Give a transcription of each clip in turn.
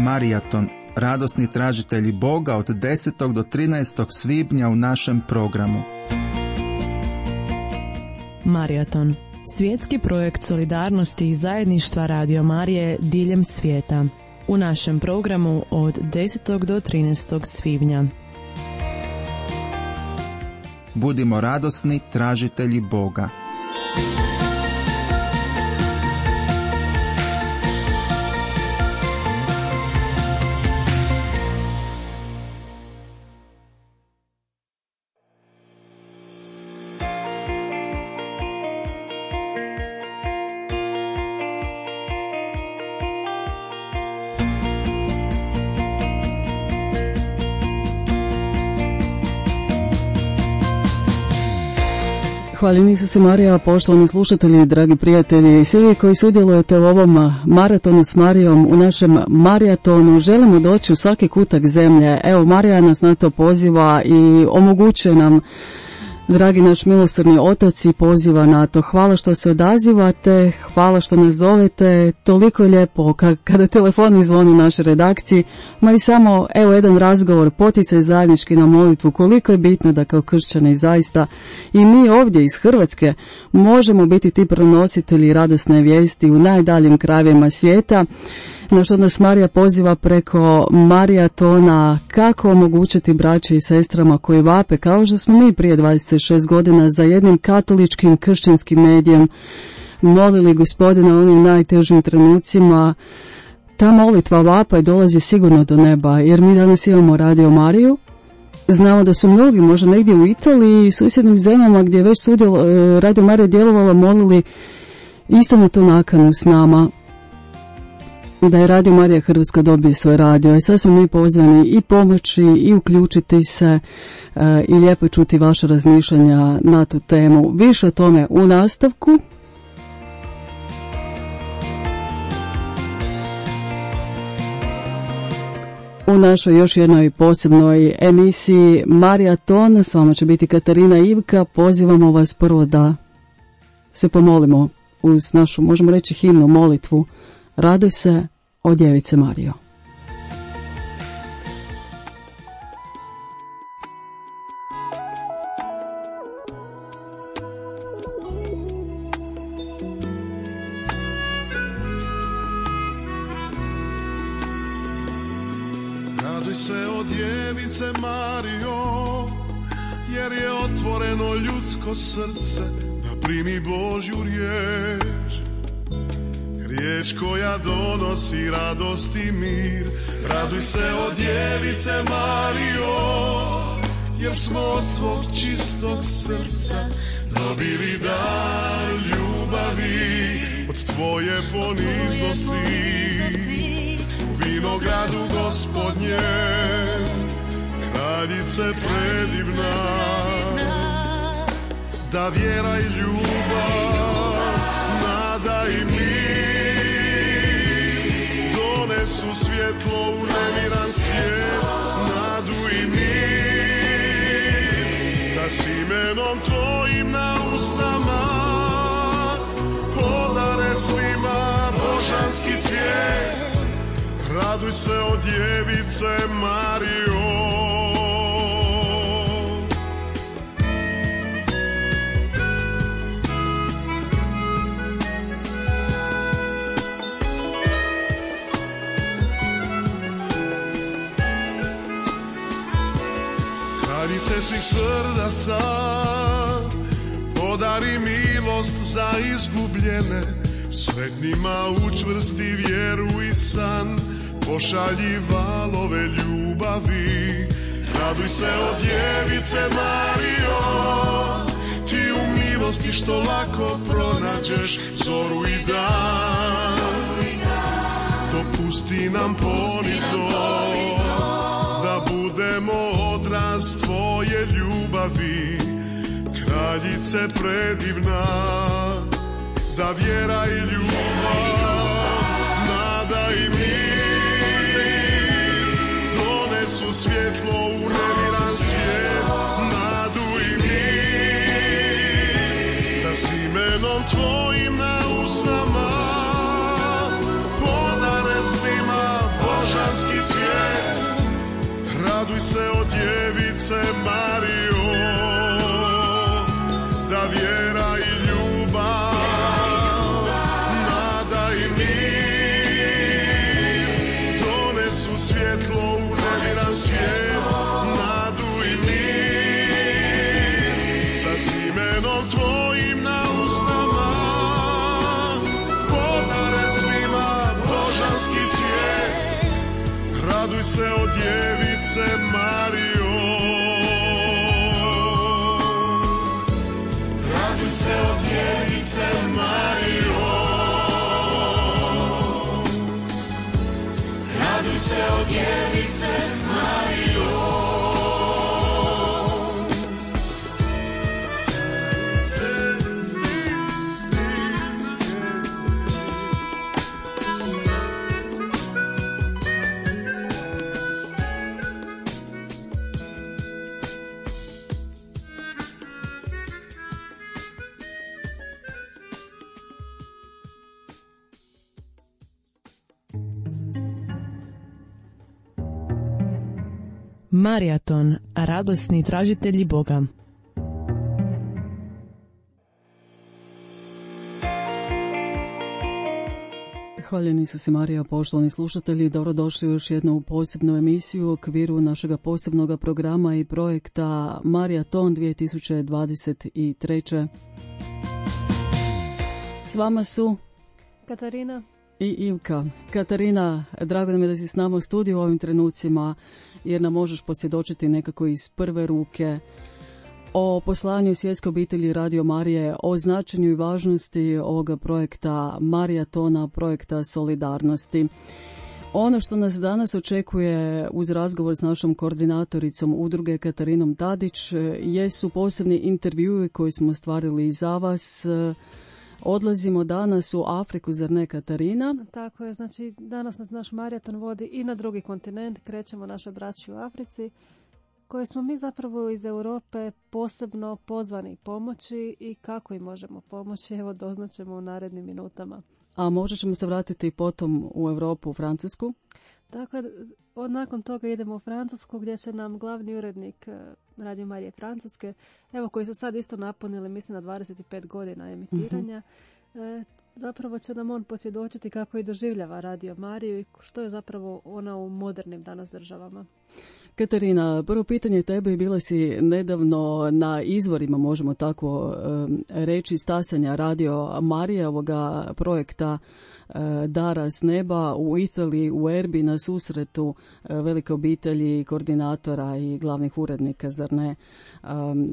Marijaton, radosni tražitelji Boga od 10. do 13. svibnja u našem programu. Marijaton, svjetski projekt solidarnosti i zajedništva Radio Marije diljem svijeta. U našem programu od 10. do 13. svibnja. Budimo radosni tražitelji Boga. Hvaljeni Isuse Marija, poštovani slušatelji, dragi prijatelji i svi vi koji sudjelujete u ovom maratonu s Marijom, u našem marijatonu želimo doći u svaki kutak zemlje. Evo, Marija nas na to poziva i omogućuje nam, dragi naš milosrdni Otac, i poziva na to. Hvala što se odazivate, hvala što nas zovete, toliko je lijepo kada telefon zvoni u našoj redakciji, ma i samo evo jedan razgovor, poticaj zajednički na molitvu, koliko je bitno da kao kršćani zaista i mi ovdje iz Hrvatske možemo biti ti prenositelji radosne vijesti u najdaljim krajevima svijeta, na što nas Marija poziva preko marijatona, kako omogućiti braći i sestrama koji vape, kao što smo mi prije 26 godina za jednim katoličkim kršćanskim medijem molili Gospodina u onim najtežim trenucima. Ta molitva vapa i dolazi sigurno do neba, jer mi danas imamo Radio Mariju. Znamo da su mnogi, možda negdje u Italiji i susjednim zemljama gdje je već Radio Marija djelovala, molili isto na tu nakanu s nama, da je Radio Marija Hrvatska dobije svoj radio. I sad smo mi pozvani i pomoći i uključiti se i lijepo čuti vaše razmišljanja na tu temu. Više o tome u nastavku. U našoj još jednoj posebnoj emisiji Marijaton s vama će biti Katarina Ivka. Pozivamo vas prvo da se pomolimo uz našu, možemo reći, himnu, molitvu. Raduj se, o Djevice Marijo. Raduj se, o Djevice Marijo, jer je otvoreno ljudsko srce da primi Božju riječ. Riječ koja donosi radost i mir. Raduj se, o Djevice Marijo, jer smo od tvog čistog srca dobili dar ljubavi. Od tvoje poniznosti u vinogradu Gospodnje, kraljice predivna, da vjera i ljubav, nada i mir donesu svjetlo u nemiran svijet, nadu i mir, da s imenom tvojim na usnama podare svima božanski cvijet. Raduj se, o Djevice Marijo. Kraljice svih srdaca, podari milost za izgubljene, sretnima učvrsti vjeru i san, pošalji valove ljubavi. Raduj se, o Djevice Marijo, ti u milosti što lako pronađeš zoru i dan. Dopusti nam ponizno da budemo odraz tvoje ljubavi, kraljice predivna, da vjera i ljubav, nada i mir donesu svjetlo u nemiran svijet, nadu i mir, da s imenom tvojim na usnama podare svima božanski Raduj se od djevice Mario, da vjera i ljubav, nada i mir donesu svjetlo u nemiran svijet, nadu i mir, da s imenom tvojim na usnama podare svima božanski cvijet. Raduj se od djevice Mario, raduj se od djevice Mario, raduj se od djevice Mario. Marijaton, radosni tražitelji Boga. Hvaljeni su se Marija, poštovani slušatelji, dobrodošli u još jednu posebnu emisiju u okviru našega posebnog programa i projekta Marijaton 2023. S vama su Katarina i Ivka. Katarina, drago nam je da si s nama u studiju u ovim trenucima, jer nam možeš posvjedočiti nekako iz prve ruke o poslanju svjetske obitelji Radio Marije, o značenju i važnosti ovoga projekta Marijatona, projekta solidarnosti. Ono što nas danas očekuje uz razgovor s našom koordinatoricom udruge Katarinom Tadić jesu posebni intervjui koji smo ostvarili za vas. Odlazimo danas u Afriku, zar ne, Katarina? Tako je, znači danas nas naš Marijaton vodi i na drugi kontinent, krećemo našoj braći u Africi, koje smo mi zapravo iz Europe posebno pozvani pomoći i kako im možemo pomoći, evo doznaćemo u narednim minutama. A možda ćemo se vratiti potom u Europu, u Francusku? Tako je, nakon toga idemo u Francusku gdje će nam glavni urednik Radio Marije Francuske, evo koji su sad isto napunili, mislim na 25 godina emitiranja, zapravo će nam on posvjedočiti kako i doživljava Radio Mariju i što je zapravo ona u modernim danas državama. Katarina, prvo pitanje tebe, bila si nedavno na izvorima, možemo tako reći, stasanja Radio Marije, ovoga projekta Dara s neba u Italiji, u Erbi, na susretu velike obitelji, koordinatora i glavnih urednika, zar ne,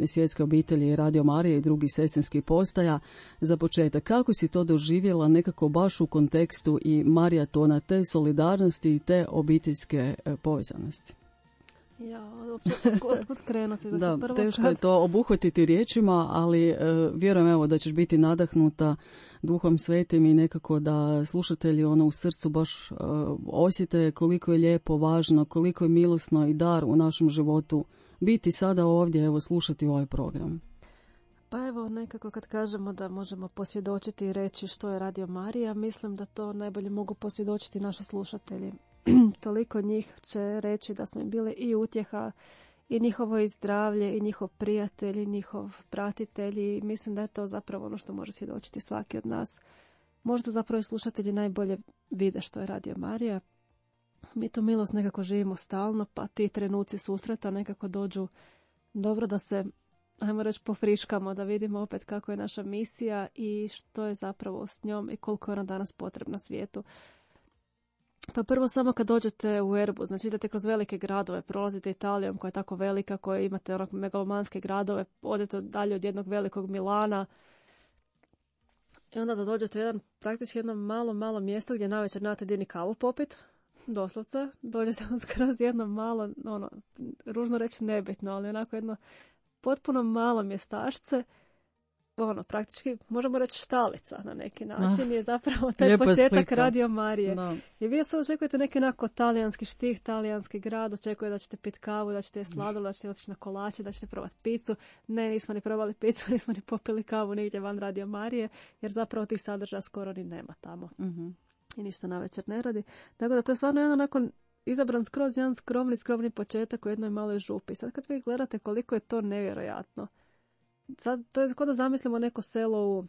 svjetske obitelji Radio Marije i drugih sestrinskih postaja. Za početak, kako si to doživjela nekako baš u kontekstu i Marijatona, te solidarnosti i te obiteljske povezanosti? Ja, otkud krenuti? Da, teško je to obuhvatiti riječima, ali vjerujem evo da ćeš biti nadahnuta Duhom Svetim i nekako da slušatelji u srcu baš osjete koliko je lijepo, važno, koliko je milosno i dar u našem životu biti sada ovdje, evo slušati ovaj program. Pa evo, nekako kad kažemo da možemo posvjedočiti i reći što je Radio Marija, mislim da to najbolje mogu posvjedočiti naši slušatelji. Toliko njih će reći da smo im bili i utjeha, i njihovo i zdravlje, i njihov prijatelj, i njihov pratitelj, i mislim da je to zapravo ono što može svjedočiti svaki od nas. Možda zapravo i slušatelji najbolje vide što je Radio Marija. Mi tu milost nekako živimo stalno, pa ti trenuci susreta nekako dođu dobro da se, ajmo reći, pofriškamo, da vidimo opet kako je naša misija i što je zapravo s njom i koliko je ona danas potrebna svijetu. Pa prvo samo kad dođete u Erbu, znači idete kroz velike gradove, prolazite Italijom koja je tako velika, koja imate megalomanske gradove, odete dalje od jednog velikog Milana i onda da dođete u praktički jedno malo mjesto gdje navečer nemate gdje ni kavu popit, doslovce, dođete skroz jedno malo, ružno reći nebitno, ali onako jedno potpuno malo mjestašce, praktički možemo reći štalica na neki način je zapravo taj početak slika. Radio Marije. No. I vi sad očekujete neki onako talijanski štih, talijanski grad, očekujete da ćete piti kavu, da ćete sladoled, da ćete otići na kolače, da ćete probati picu. Ne, nismo ni probali picu, nismo ni popili kavu nigdje van Radio Marije, jer zapravo tih sadržaja skoro ni nema tamo. I ništa navečer ne radi. Tako da to je stvarno jedan onako izabran skroz jedan skromni početak u jednoj maloj župi. Sad kad vi gledate koliko je to nevjerojatno. Sad, to je kao da zamislimo neko selo u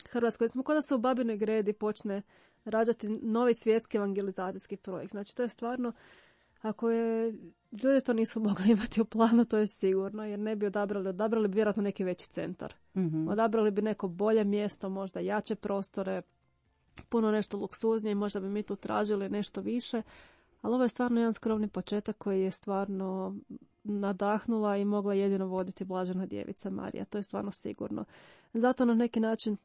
Hrvatskoj. Kao da se u Babinoj Gredi počne rađati novi svjetski evangelizacijski projekt. Znači to je stvarno, ako je ljudi to nisu mogli imati u planu, to je sigurno, jer ne bi odabrali bi vjerojatno neki veći centar. Odabrali bi neko bolje mjesto, možda jače prostore, puno nešto luksuznije, možda bi mi tu tražili nešto više, ali ovo je stvarno jedan skromni početak koji je stvarno nadahnula i mogla jedino voditi Blažena djevica Marija, to je stvarno sigurno. Zato na neki način,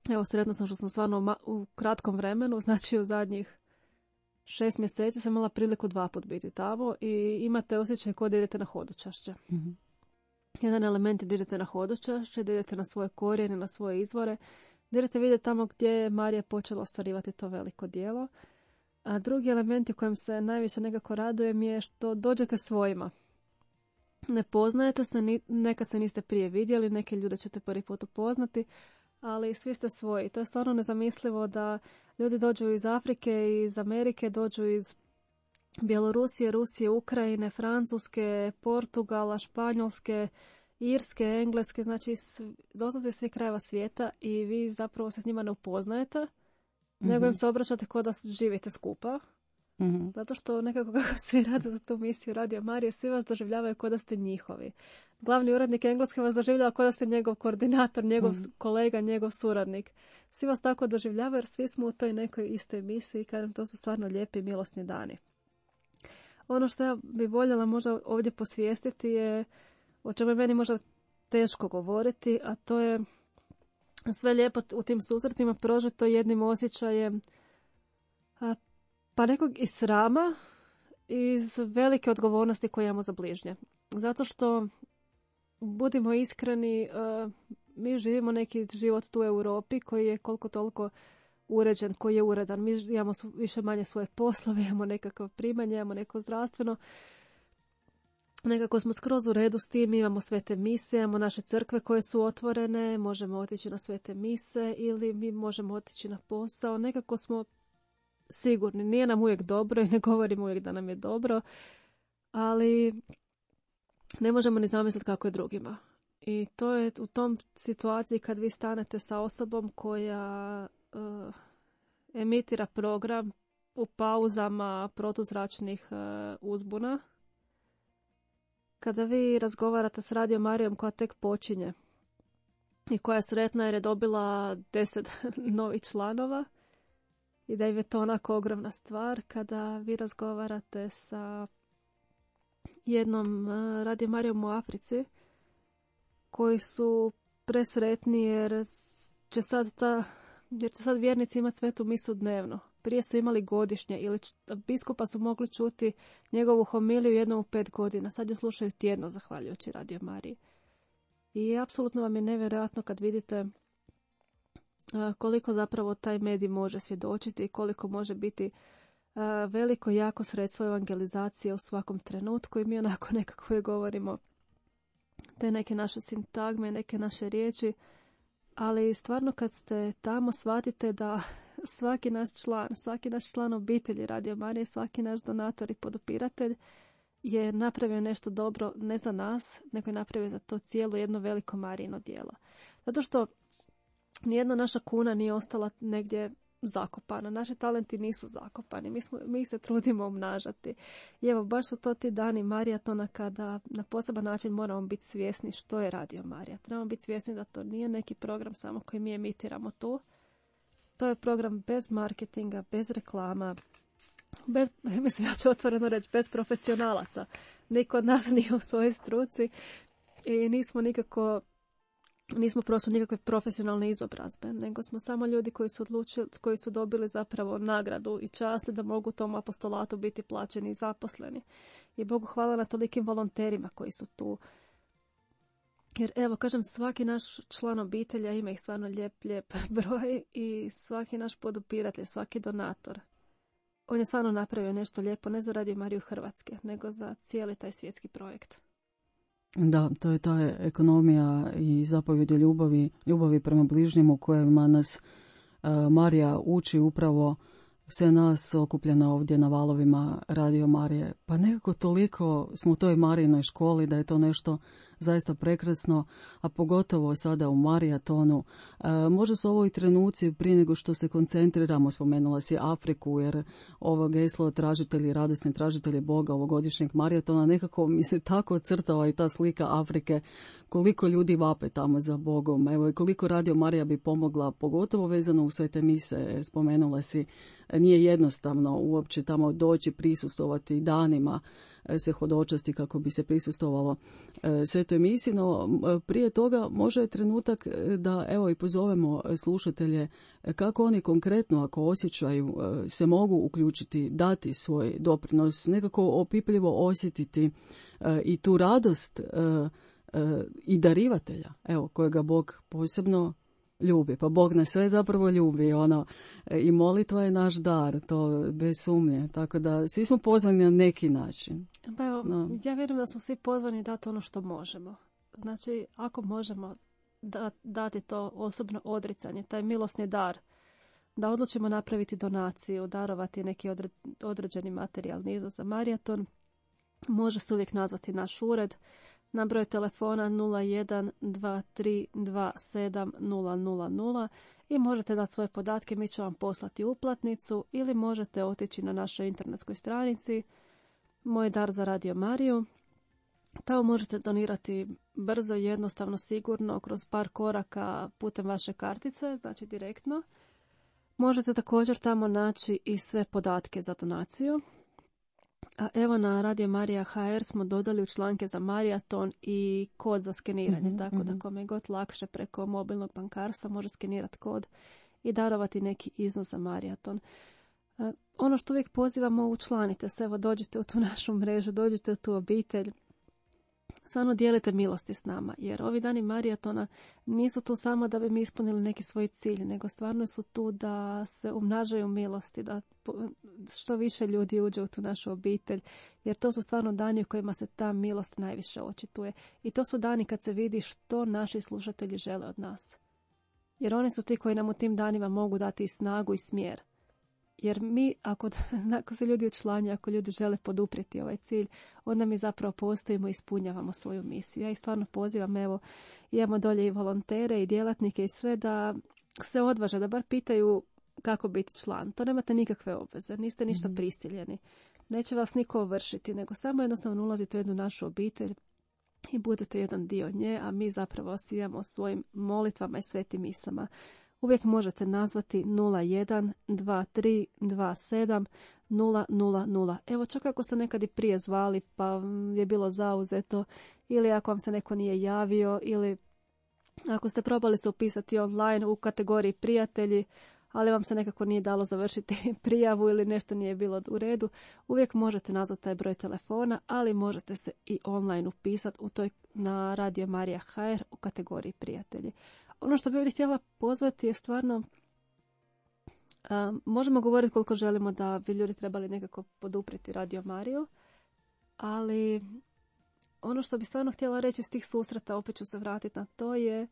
evo sretna sam što sam stvarno u kratkom vremenu, znači u zadnjih 6 mjeseci sam imala priliku 2 put biti tamo i imate osjećaj kao da idete na hodočašće. Jedan element je da idete na hodočašće, da idete na svoje korijene, na svoje izvore, da idete vidjeti tamo gdje je Marija počela ostvarivati to veliko djelo. A drugi element u kojem se najviše nekako radujem je što dođete svojima. Ne poznajete se, nekad se niste prije vidjeli, neke ljude ćete prvi put upoznati, ali svi ste svoji. To je stvarno nezamislivo da ljudi dođu iz Afrike, iz Amerike, dođu iz Bjelorusije, Rusije, Ukrajine, Francuske, Portugala, Španjolske, Irske, Engleske, znači doslovce svih krajeva svijeta i vi zapravo se s njima ne upoznajete, nego im se obraćate kao da živite skupa. Zato što nekako kako svi rade za tu misiju Radio Marije, svi vas doživljavaju kao da ste njihovi. Glavni urednik Engleske vas doživljava kao da ste njegov koordinator, njegov kolega, njegov suradnik. Svi vas tako doživljavaju jer svi smo u toj nekoj istoj misiji i kažem, to su stvarno lijepi i milosni dani. Ono što ja bi voljela možda ovdje posvijestiti je, o čemu je meni možda teško govoriti, a to je sve lijepo u tim susretima prožeto jednim osjećajem pa nekog i srama i velike odgovornosti koje imamo za bližnje. Zato što, budimo iskreni, mi živimo neki život tu u Europi koji je koliko toliko uređen, koji je uredan. Mi imamo više manje svoje poslove, imamo nekakvo primanje, imamo neko zdravstveno. Nekako smo skroz u redu s tim, imamo svete mise, imamo naše crkve koje su otvorene, možemo otići na svete mise ili mi možemo otići na posao. Nekako smo sigurni, nije nam uvijek dobro i ne govorimo uvijek da nam je dobro, ali ne možemo ni zamisliti kako je drugima. I to je u tom situaciji kad vi stanete sa osobom koja emitira program u pauzama protuzračnih uzbuna, kada vi razgovarate s Radio Marijom koja tek počinje i koja je sretna jer je dobila 10 novih članova i da im je to onako ogromna stvar, kada vi razgovarate sa jednom Radio Marijom u Africi koji su presretni jer će sad vjernici imati svetu misu dnevno. Prije su imali godišnje ili biskupa su mogli čuti njegovu homiliju jednom u 5 godina. Sad je slušaju tjedno zahvaljujući Radio Mariji. I apsolutno vam je nevjerojatno kad vidite koliko zapravo taj medij može svjedočiti i koliko može biti veliko jako sredstvo evangelizacije u svakom trenutku i mi onako nekako je govorimo te neke naše sintagme, neke naše riječi, ali stvarno kad ste tamo shvatite da svaki naš član obitelji Radio Marije, svaki naš donator i podupiratelj je napravio nešto dobro ne za nas, nego je napravio za to cijelo jedno veliko Marijino djelo. Zato što nijedna naša kuna nije ostala negdje zakopana. Naši talenti nisu zakopani. Mi se trudimo umnažati. I evo, baš su to ti dani Marijatona kada na poseban način moramo biti svjesni što je Radio Marija. Trebamo biti svjesni da to nije neki program samo koji mi emitiramo tu. To je program bez marketinga, bez reklama, mislim, ja ću otvoreno reći, bez profesionalaca. Niko od nas nije u svojoj struci i nismo prošli nikakve profesionalne izobrazbe, nego smo samo ljudi koji su dobili zapravo nagradu i čast da mogu tom apostolatu biti plaćeni i zaposleni. I Bogu hvala na tolikim volonterima koji su tu. Jer evo, kažem, svaki naš član obitelja ima ih stvarno lijep broj i svaki naš podupiratelj, svaki donator. On je stvarno napravio nešto lijepo, ne za Radio Mariju Hrvatske, nego za cijeli taj svjetski projekt. Da, to je ta ekonomija i zapovjed ljubavi prema bližnjemu kojima nas Marija uči upravo sve nas okupljeno ovdje na valovima Radio Marije. Pa nekako toliko smo u toj Marijinoj školi da je to nešto zaista prekrasno, a pogotovo sada u Marijatonu. Možda su ovo i trenuci prije nego što se koncentriramo, spomenula si Afriku, jer ovo geslo tražitelji, radosni tražitelji Boga ovogodišnjeg Marijatona, nekako mi se tako ocrtava i ta slika Afrike, koliko ljudi vape tamo za Bogom. Evo i koliko Radio Marija bi pomogla, pogotovo vezano u svete mise, spomenula si, nije jednostavno uopće tamo doći, prisustovati danima, se hodočasti kako bi se prisustovalo svetoj misi, no prije toga može je trenutak da evo i pozovemo slušatelje kako oni konkretno, ako osjećaju, se mogu uključiti, dati svoj doprinos, nekako opipljivo osjetiti i tu radost i darivatelja, evo, kojega Bog posebno ljubi. Pa Bog nas sve zapravo ljubi, i molitva je naš dar, to bez sumnje. Tako da svi smo pozvani na neki način. Pa evo, ja vjerujem da smo svi pozvani dati ono što možemo. Znači, ako možemo dati to osobno odricanje, taj milosni dar, da odlučimo napraviti donaciju, darovati neki određeni materijalni iznos za Marijaton, može se uvijek nazvati naš ured na broj telefona 0123270000 i možete dati svoje podatke, mi ćemo vam poslati uplatnicu ili možete otići na našoj internetskoj stranici Moj dar za Radio Mariju. Tamo možete donirati brzo, jednostavno, sigurno, kroz par koraka putem vaše kartice, znači direktno. Možete također tamo naći i sve podatke za donaciju. A evo na Radio Marija HR smo dodali u članke za Marijaton i kod za skeniranje, tako da kome je god lakše preko mobilnog bankarstva može skenirati kod i darovati neki iznos za Marijaton. Ono što uvijek pozivamo, učlanite se, evo dođite u tu našu mrežu, dođite u tu obitelj. Stvarno dijelite milosti s nama, jer ovi dani Marijatona nisu tu samo da bi mi ispunili neki svoj cilj, nego stvarno su tu da se umnažaju milosti, da što više ljudi uđe u tu našu obitelj, jer to su stvarno dani u kojima se ta milost najviše očituje. I to su dani kad se vidi što naši slušatelji žele od nas. Jer oni su ti koji nam u tim danima mogu dati i snagu i smjer. Jer mi, ako se ljudi učlanjuju, ako ljudi žele poduprijeti ovaj cilj, onda mi zapravo postojimo i ispunjavamo svoju misiju. Ja ih stvarno pozivam, evo, imamo dolje i volontere i djelatnike i sve da se odvaže, da bar pitaju kako biti član. To nemate nikakve obveze, niste ništa prisiljeni. Neće vas niko ovršiti, nego samo jednostavno ulazite u jednu našu obitelj i budete jedan dio nje, a mi zapravo osijamo svojim molitvama i svetim misama. Uvijek možete nazvati 0123270000. Evo, čak ako ste nekad i prije zvali pa je bilo zauzeto, ili ako vam se neko nije javio, ili ako ste probali se upisati online u kategoriji prijatelji, ali vam se nekako nije dalo završiti prijavu ili nešto nije bilo u redu, uvijek možete nazvati taj broj telefona, ali možete se i online upisati na Radio Marija HR u kategoriji prijatelji. Ono što bih ovdje htjela pozvati je stvarno, možemo govoriti koliko želimo da bi ljudi trebali nekako poduprijeti Radio Mariju, ali ono što bih stvarno htjela reći iz tih susreta, opet ću se vratiti na to, je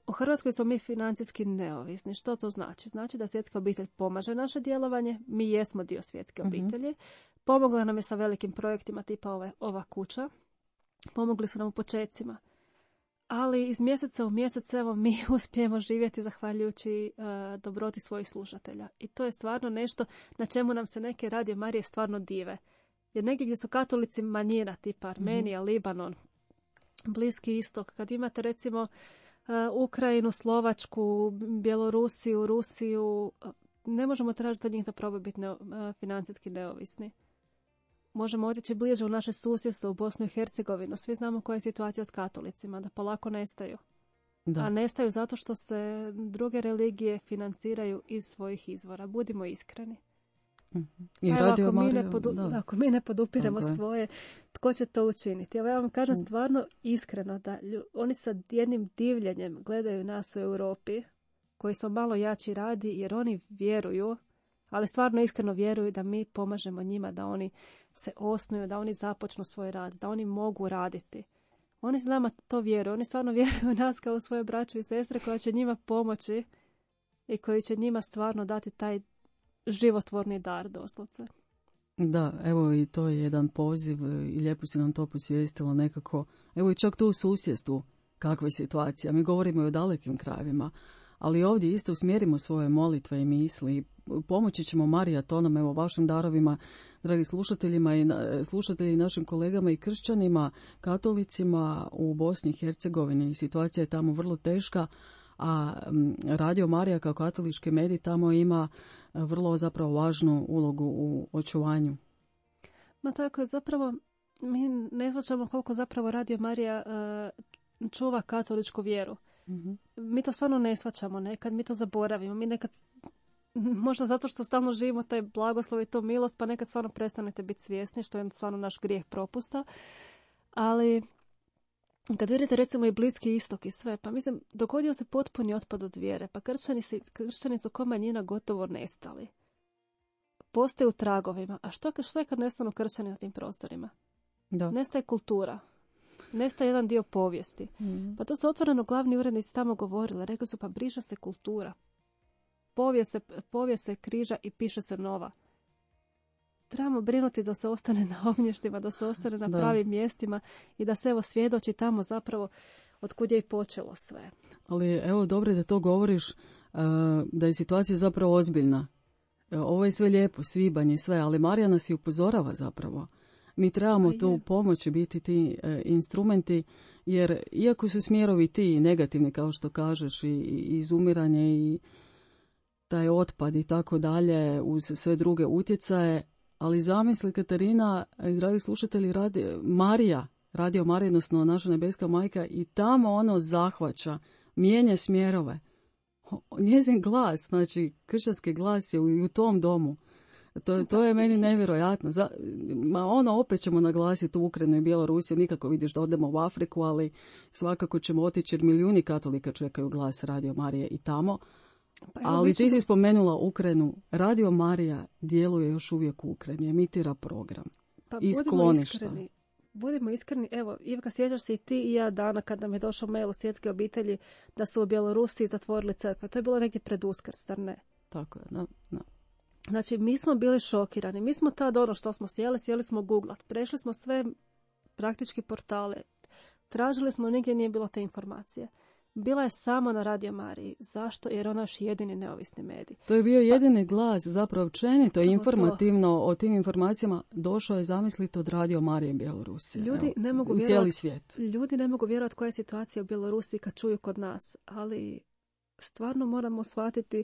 u Hrvatskoj smo mi financijski neovisni. Što to znači? Znači da svjetska obitelj pomaže naše djelovanje, mi jesmo dio svjetske obitelji, pomogla nam je sa velikim projektima tipa ova kuća, pomogli su nam u počecima. Ali iz mjeseca u mjesec evo mi uspijemo živjeti zahvaljujući dobroti svojih slušatelja. I to je stvarno nešto na čemu nam se neke Radio Marije stvarno dive. Jer negdje gdje su katolici manjina, tipa Armenija, Libanon, Bliski istok, kad imate recimo Ukrajinu, Slovačku, Bjelorusiju, Rusiju, ne možemo tražiti od njih da probaju biti financijski neovisni. Možemo otići bliže u naše susjedstvo, u Bosnu i Hercegovinu. Svi znamo koja je situacija s katolicima, da polako nestaju. Da. A nestaju zato što se druge religije financiraju iz svojih izvora. Budimo iskreni. I ako mi ne podupiremo svoje, tko će to učiniti? Ja vam kažem stvarno iskreno da oni sa jednim divljenjem gledaju nas u Europi, koji smo malo jači radi, jer oni vjeruju, ali stvarno iskreno vjeruju da mi pomažemo njima, da oni se osnuju, da oni započnu svoj rad, da oni mogu raditi. Oni s nama to vjeruju, oni stvarno vjeruju u nas kao svoje braću i sestre koja će njima pomoći i koji će njima stvarno dati taj životvorni dar doslovce. Da, evo i to je jedan poziv i lijepo si nam to posvijestilo nekako. Evo i čak tu u susjedstvu kakva je situacija. Mi govorimo i o dalekim krajevima, ali ovdje isto usmjerimo svoje molitve i misli. Pomoći ćemo Marijatonom, evo vašim darovima, dragi slušateljima i slušatelji našim kolegama i kršćanima, katolicima u Bosni i Hercegovini. Situacija je tamo vrlo teška, a Radio Marija kao katolički medij tamo ima vrlo zapravo važnu ulogu u očuvanju. Ma tako je, zapravo mi ne shvaćamo koliko zapravo Radio Marija čuva katoličku vjeru. Mm-hmm. Mi to stvarno ne shvaćamo, nekad mi to zaboravimo, mi nekad, možda zato što stalno živimo taj blagoslov i to milost, pa nekad stvarno prestanete biti svjesni, što je stvarno naš grijeh propusta, ali kad vidite recimo i Bliski istok i sve, pa mislim, dogodio se potpuni otpad od vjere, pa kršćani su ko manjina gotovo nestali. Postoje u tragovima, a što je kad nestanu kršćani na tim prostorima? Da. Nestaje kultura. Nestaje jedan dio povijesti. Pa to su otvoreno glavni urednici tamo govorili. Rekli su, pa briše se kultura. Povijest se križa i piše se nova. Trebamo brinuti da se ostane na ognjištima, da se ostane na pravim mjestima i da se evo svjedoči tamo zapravo od kud je i počelo sve. Ali evo dobro da to govoriš, da je situacija zapravo ozbiljna. Ovo je sve lijepo, svibanj i sve, ali Marija nas i upozorava zapravo. Mi trebamo tu pomoći biti ti instrumenti, jer iako su smjerovi ti negativni, kao što kažeš, i izumiranje i taj otpad i tako dalje, uz sve druge utjecaje, ali zamisli Katarina, dragi slušatelji, Radio Marija, odnosno naša nebeska majka, i tamo ono zahvaća, mijenja smjerove. Njezin glas, znači kršćanski glas je u tom domu. To je meni nevjerojatno. Opet ćemo naglasiti Ukrajinu i Bjelorusiju, nikako vidiš da odemo u Afriku, ali svakako ćemo otići jer milijuni katolika čekaju glas Radio Marije i tamo. Ali ti si spomenula Ukrajinu. Radio Marija djeluje još uvijek u Ukrajini, emitira program. Iz skloništa. Budimo iskreni, evo, Ivka, sjećaš se i ti i ja dana kad nam je došao mail u Svjetske obitelji da su u Bjelorusiji zatvorili crkve. To je bilo negdje pred Uskrs, zar ne? Tako je, da. Znači, mi smo bili šokirani. Mi smo tad ono što smo sjeli smo googlat. Prešli smo sve praktički portale. Tražili smo, nigdje nije bilo te informacije. Bila je samo na Radio Mariji. Zašto? Jer ona je još jedini neovisni medij. To je bio jedini glas, zapravo općenito informativno o tim informacijama došao je, zamislite, od Radio Marije Bjelorusije. Ljudi ne mogu vjerovati, cijeli svijet. Ljudi ne mogu vjerovati koja je situacija u Bjelorusiji kad čuju kod nas, ali stvarno moramo shvatiti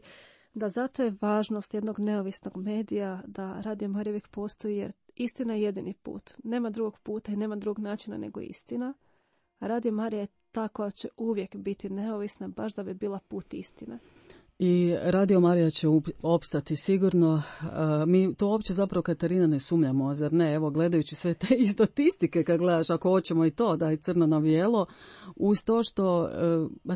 da zato je važnost jednog neovisnog medija, da Radio Marija uvijek postoji, jer istina je jedini put. Nema drugog puta i nema drugog načina nego istina. A Radio Marija je ta koja će uvijek biti neovisna, baš da bi bila put istine. I Radio Marija će opstati sigurno. Mi to uopće zapravo, Katarina, ne sumnjamo, zar ne? Evo, gledajući sve te i statistike, kad gledaš, ako hoćemo i to, da je crno na bijelo, uz to što,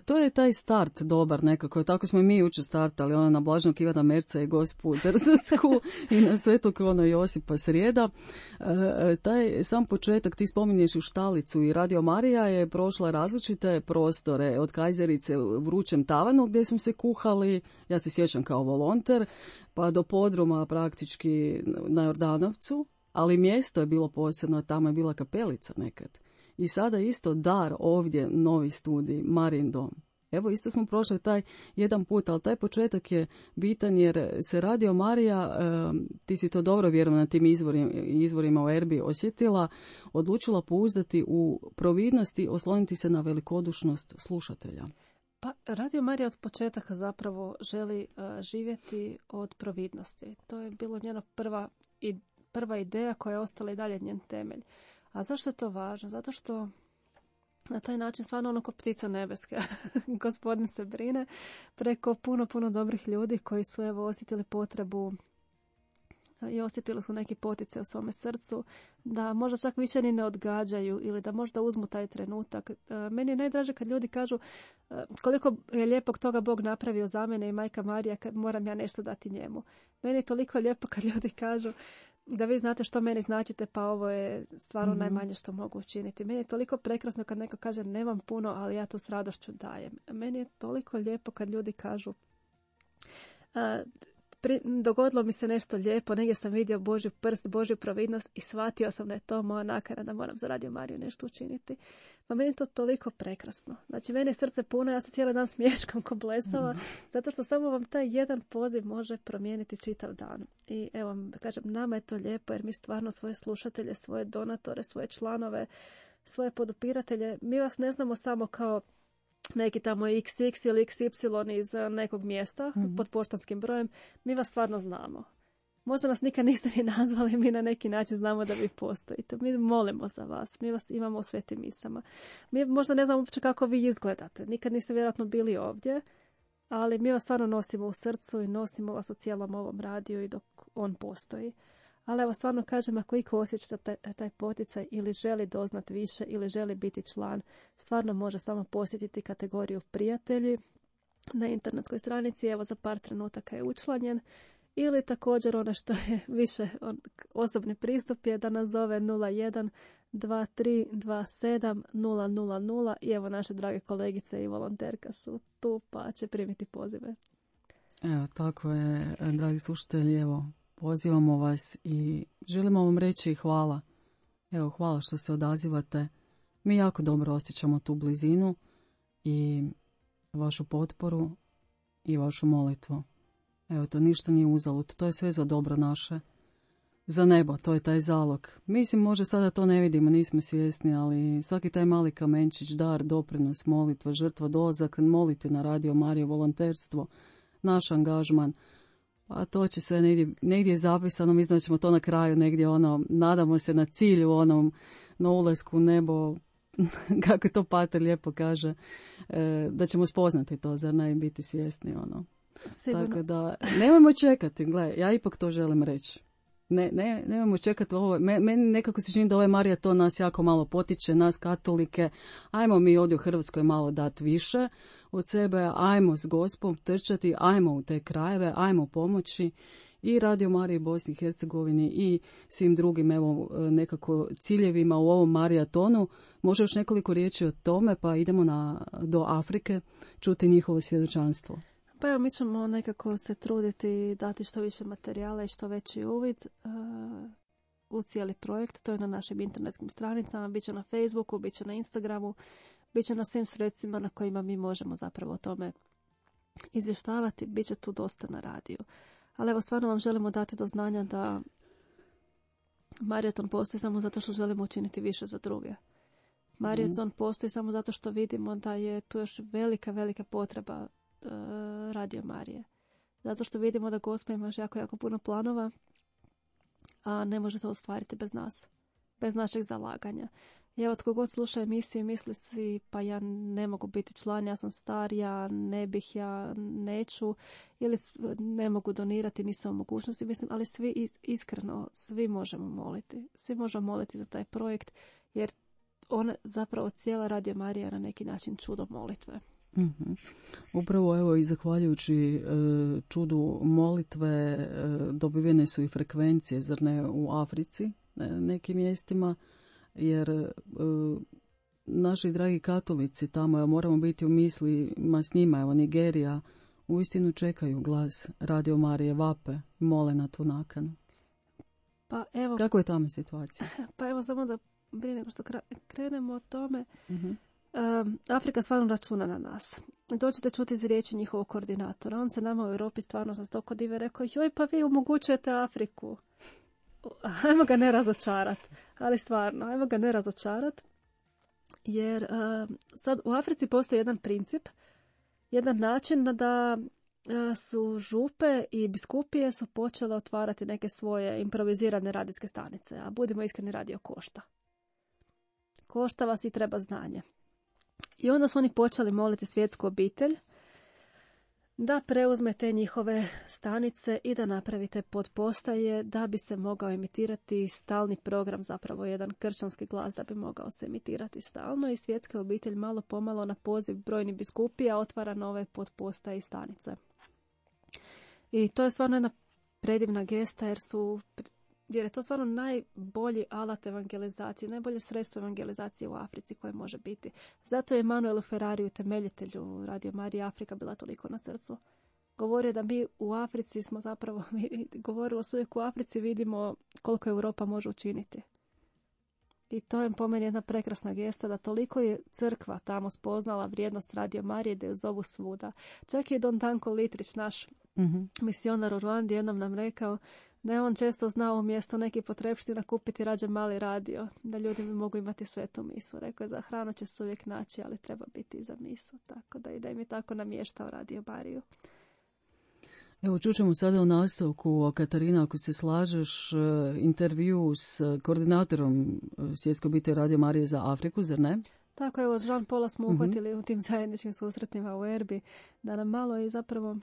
to je taj start dobar nekako. Tako smo i mi jučer startali, na Blaženog Ivana Merca i Gospu Drzacku i na Svetog Josipa Srijeda. Taj sam početak, ti spominješ u Štalicu, i Radio Marija je prošla različite prostore, od Kajzerice u vrućem tavanu gdje smo se kuhali, ja se sjećam kao volonter, pa do podruma praktički na Jordanovcu, ali mjesto je bilo posebno, tamo je bila kapelica nekad. I sada isto dar ovdje, novi studij, Marin dom. Evo, isto smo prošli taj jedan put, ali taj početak je bitan jer se Radio Marija, ti si to dobro vjerujem na tim izvorima u Erbi osjetila, odlučila pouzdati u providnosti, osloniti se na velikodušnost slušatelja. Pa Radio Marija od početaka zapravo želi živjeti od providnosti. To je bilo njena prva ideja koja je ostala i dalje njen temelj. A zašto je to važno? Zato što na taj način stvarno ono ko ptica nebeska. Gospodin se brine preko puno dobrih ljudi koji su evo osjetili potrebu i osjetili su neki poticaj u svome srcu, da možda čak više ni ne odgađaju ili da možda uzmu taj trenutak. Meni je najdraže kad ljudi kažu koliko je lijepog toga Bog napravio za mene i Majka Marija, kad moram ja nešto dati njemu. Meni je toliko lijepo kad ljudi kažu da vi znate što meni značite, pa ovo je stvarno najmanje što mogu učiniti. Meni je toliko prekrasno kad neko kaže nemam puno, ali ja to s radošću dajem. Meni je toliko lijepo kad ljudi kažu Dogodilo mi se nešto lijepo, negdje sam vidio Božju prst, Božju providnost i shvatio sam da je to moja nakana da moram za Radio Mariju nešto učiniti. Pa meni je to toliko prekrasno. Znači, meni je srce puno, ja se cijeli dan smješkam ko blesava, zato što samo vam taj jedan poziv može promijeniti čitav dan. I evo, kažem, nama je to lijepo jer mi stvarno svoje slušatelje, svoje donatore, svoje članove, svoje podupiratelje, mi vas ne znamo samo kao neki tamo XX ili XY iz nekog mjesta pod poštanskim brojem, mi vas stvarno znamo. Možda nas nikad niste ni nazvali, mi na neki način znamo da vi postojite. Mi molimo za vas, mi vas imamo u svetim misama. Mi možda ne znamo uopće kako vi izgledate, nikad niste vjerojatno bili ovdje, ali mi vas stvarno nosimo u srcu i nosimo vas u cijelom ovom radiju i dok on postoji. Ali evo, stvarno kažem, ako iko osjeća taj poticaj ili želi doznat više ili želi biti član, stvarno može samo posjetiti kategoriju prijatelji na internetskoj stranici. Evo, za par trenutaka je učlanjen. Ili također ono što je više osobni pristup je da nas zove 01 23 27 000 i evo naše drage kolegice i volonterka su tu pa će primiti pozive. Evo, tako je, dragi slušatelji, evo, pozivamo vas i želimo vam reći hvala. Evo, hvala što se odazivate. Mi jako dobro osjećamo tu blizinu i vašu potporu i vašu molitvu. Evo, to ništa nije uzalud, to je sve za dobro naše. Za nebo, to je taj zalog. Mislim, možda sada to ne vidimo, nismo svjesni, ali svaki taj mali kamenčić, dar, doprinos, molitva, žrtva, dolazak, molite na Radio Mariju, volonterstvo, naš angažman, pa to će sve negdje zapisano, mi ćemo to na kraju negdje nadamo se na cilju, na ulasku u nebo, kako to Pater lijepo kaže, da ćemo spoznati to, zar ne, biti svjesni, Sigurno. Tako da, nemojmo čekati, gledaj, ja ipak to želim reći. Nemojmo čekati ovo, meni nekako se čini da ovaj Marija to nas jako malo potiče, nas katolike, ajmo mi ovdje u Hrvatskoj malo dati više od sebe, ajmo s Gospom trčati, ajmo u te krajeve, ajmo pomoći i Radio Mariji Bosni i Hercegovini i svim drugim evo nekako ciljevima u ovom marijatonu. Može još nekoliko riječi o tome, pa idemo do Afrike čuti njihovo svjedočanstvo. Pa evo, mi ćemo nekako se truditi dati što više materijala i što veći uvid u cijeli projekt. To je na našim internetskim stranicama, bit će na Facebooku, bit će na Instagramu, bit će na svim sredstvima na kojima mi možemo zapravo o tome izvještavati. Bit će tu dosta na radiju. Ali evo, stvarno vam želimo dati do znanja da Marijaton postoji samo zato što želimo učiniti više za druge. Marijaton postoji samo zato što vidimo da je tu još velika, velika potreba Radio Marije. Zato što vidimo da Gospod ima jako, jako puno planova, a ne može to ostvariti bez nas, bez našeg zalaganja. I evo, tko god sluša emisiju i misli si, pa ja ne mogu biti član, ja sam star, ja ne bih, ja neću, ili ne mogu donirati, nisam u mogućnosti, mislim, ali svi iskreno, svi možemo moliti. Svi možemo moliti za taj projekt, jer on zapravo cijela Radio Marija na neki način čudo molitve. Mm-hmm. Upravo evo i zahvaljujući čudu molitve dobivene su i frekvencije, zar ne, u Africi, nekim mjestima, jer naši dragi katolici tamo, evo, moramo biti u mislima s njima, evo Nigerija, uistinu čekaju glas Radio Marije, vape, mole na tu nakanu. Pa evo, kako je tamo situacija? Pa evo, samo da prije nego što krenemo o tome, Mm-hmm. Afrika stvarno računa na nas. Dođete čuti iz riječi njihovog koordinatora. On se nama u Europi stvarno sa stoko dive rekao, joj, pa vi omogućujete Afriku. Ajmo ga ne razočarat. Ali stvarno, ajmo ga ne razočarat. Jer sad u Africi postoji jedan princip, jedan način da su župe i biskupije su počele otvarati neke svoje improvizirane radijske stanice. A budimo iskreni, radio košta. Košta vas i treba znanje. I onda su oni počeli moliti svjetsku obitelj da preuzme te njihove stanice i da napravite podpostaje da bi se mogao emitirati stalni program, zapravo jedan kršćanski glas da bi mogao se emitirati stalno, i svjetska obitelj malo pomalo na poziv brojnih biskupija otvara nove podpostaje i stanice. I to je stvarno jedna predivna gesta jer je to stvarno najbolji alat evangelizacije, najbolje sredstvo evangelizacije u Africi koje može biti. Zato je Emanuelu Ferrariju, temeljitelju Radio Marije Afrika, bila toliko na srcu. govorio da mi u Africi smo zapravo, govorilo se uvijek u Africi vidimo koliko Europa može učiniti. I to je po meni jedna prekrasna gesta da toliko je crkva tamo spoznala vrijednost Radio Marije da ju zovu svuda. Čak i Don Danko Litrić, naš misionar u Ruandi, jednom nam rekao da je on često znao umjesto neki potrepština kupiti rađe mali radio, da ljudi mogu imati svetu misu. Rekao je, za hranu će se uvijek naći, ali treba biti i za misu. Tako da im je tako namještao Radio Mariju. Evo, čućemo sada u nastavku, Katarina, ako se slažeš, intervju s koordinatorom Svjetske obitelji Radio Marije za Afriku, zar ne? Tako, evo, Jean Paula smo uhvatili u tim zajedničkim susretima u Erbi, da nam malo i zapravo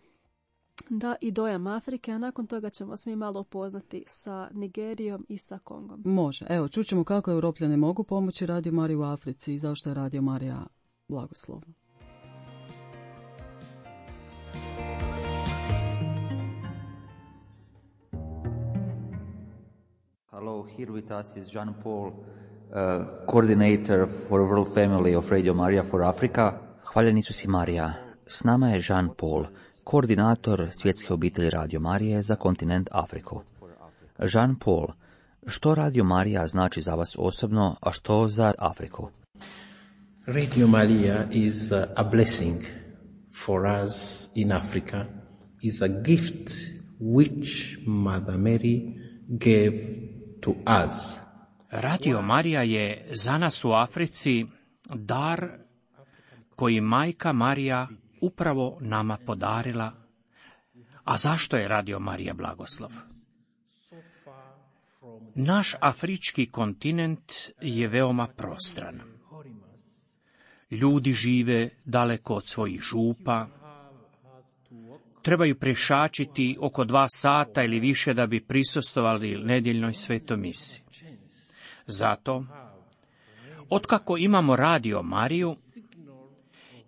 da i dojam Afrike, a nakon toga ćemo se mi malo upoznati sa Nigerijom i sa Kongom. Može. Evo, čućemo kako Europljani mogu pomoći Radio Mariji u Africi i zašto je Radio Marija blagoslov. Hello, here with us is Jean Paul, coordinator for World Family of Radio Maria for Africa. Hvaljeni su si Marija. S nama je Jean Paul, koordinator Svjetske obitelji Radio Marije za kontinent Afriku. Jean Paul, što Radio Marija znači za vas osobno, a što za Afriku? Radio Maria is a blessing for us in Africa, is a gift which Mother Mary gave to us. Radio Marija je za nas u Africi dar koji Majka Marija upravo nama podarila. A zašto je Radio Marija blagoslov? Naš afrički kontinent je veoma prostran. Ljudi žive daleko od svojih župa, trebaju prešačiti oko 2 sata ili više da bi prisustvovali nedjeljnoj svetoj misi. Zato, otkako imamo Radio Mariju,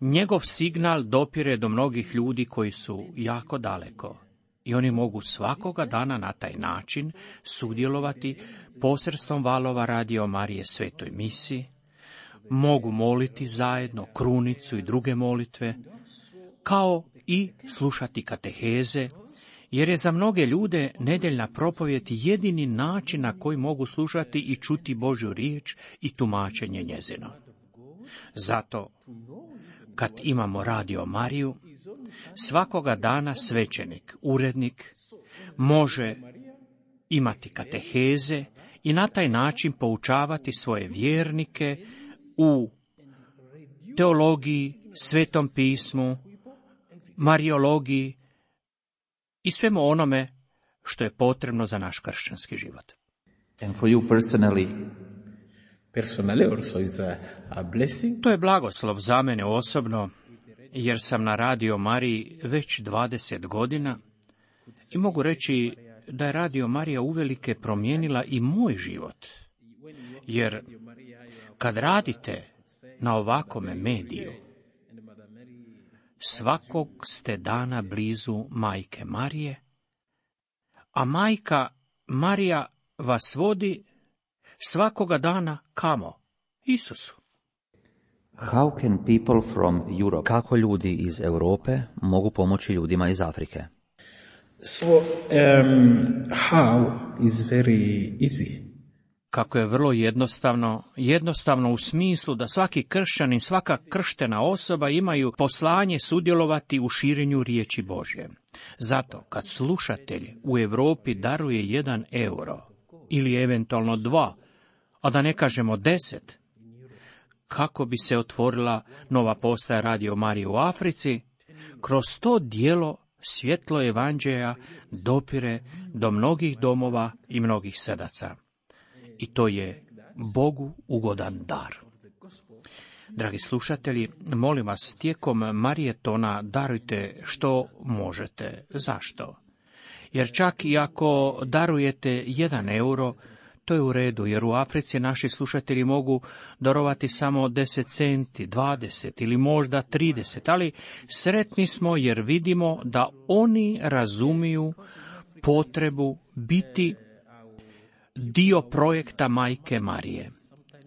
njegov signal dopire do mnogih ljudi koji su jako daleko i oni mogu svakoga dana na taj način sudjelovati posredstvom valova Radio Marije svetoj misi, mogu moliti zajedno krunicu i druge molitve, kao i slušati kateheze, jer je za mnoge ljude nedjeljna propovjed jedini način na koji mogu slušati i čuti Božju riječ i tumačenje njezino. Zato, kad imamo Radio Mariju, svakoga dana svećenik, urednik, može imati kateheze i na taj način poučavati svoje vjernike u teologiji, svetom pismu, mariologiji i svemu onome što je potrebno za naš kršćanski život. And for you personally also is a blessing. To je blagoslov za mene osobno, jer sam na Radio Mariji već 20 godina i mogu reći da je Radio Marija uvelike promijenila i moj život. Jer kad radite na ovakome mediju, svakog ste dana blizu Majke Marije, a Majka Marija vas vodi svakoga dana kamo? Isusu. How can people from Europe, kako ljudi iz Europe mogu pomoći ljudima iz Afrike? So, how is very easy. Kako je vrlo jednostavno u smislu da svaki kršćanin, svaka krštena osoba imaju poslanje sudjelovati u širenju riječi Božje. Zato, kad slušatelj u Europi daruje 1 euro, ili eventualno 2, a da ne kažemo 10, kako bi se otvorila nova postaja Radio Marije u Africi, kroz to djelo svjetlo evanđelja dopire do mnogih domova i mnogih srdaca. I to je Bogu ugodan dar. Dragi slušatelji, molim vas, tijekom Marijetona darujte što možete. Zašto? Jer čak i ako darujete 1 euro, to je u redu, jer u Africi naši slušatelji mogu darovati samo 10 centi, 20 ili možda 30, ali sretni smo jer vidimo da oni razumiju potrebu biti dio projekta Majke Marije.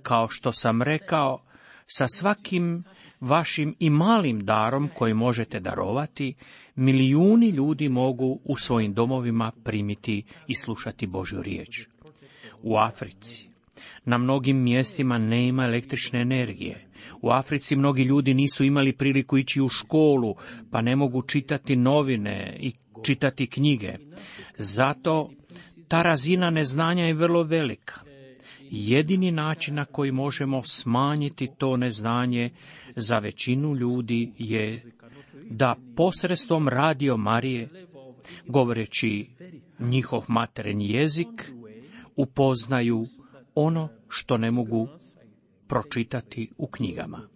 Kao što sam rekao, sa svakim vašim i malim darom koji možete darovati, milijuni ljudi mogu u svojim domovima primiti i slušati Božju riječ. U Africi na mnogim mjestima nema električne energije. U Africi mnogi ljudi nisu imali priliku ići u školu, pa ne mogu čitati novine i čitati knjige. Zato ta razina neznanja je vrlo velika. Jedini način na koji možemo smanjiti to neznanje za većinu ljudi je da posredstvom Radio Marije, govoreći njihov materinji jezik, upoznaju ono što ne mogu pročitati u knjigama.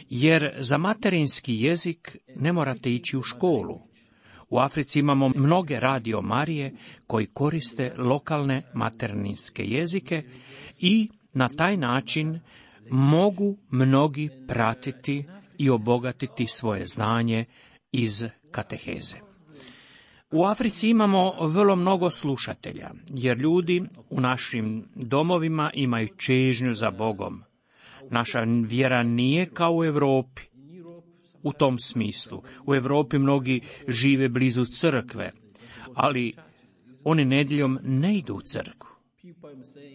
Jer za materinski jezik ne morate ići u školu. U Africi imamo mnoge Radio Marije koji koriste lokalne materinske jezike i na taj način mogu mnogi pratiti i obogatiti svoje znanje iz kateheze. U Africi imamo vrlo mnogo slušatelja, jer ljudi u našim domovima imaju čežnju za Bogom. Naša vjera nije kao u Europi. U tom smislu, u Europi mnogi žive blizu crkve, ali oni nedjeljom ne idu u crkvu.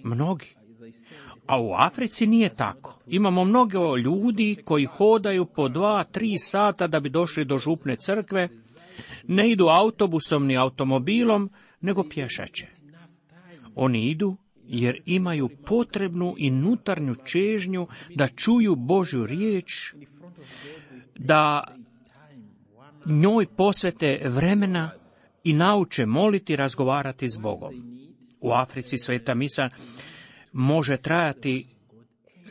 Mnogi. A u Africi nije tako. Imamo mnogo ljudi koji hodaju po 2-3 sata da bi došli do župne crkve, ne idu autobusom ni automobilom, nego pješače. Oni idu jer imaju potrebnu i unutarnju čežnju da čuju Božju riječ, da njoj posvete vremena i nauče moliti i razgovarati s Bogom. U Africi sveta misa može trajati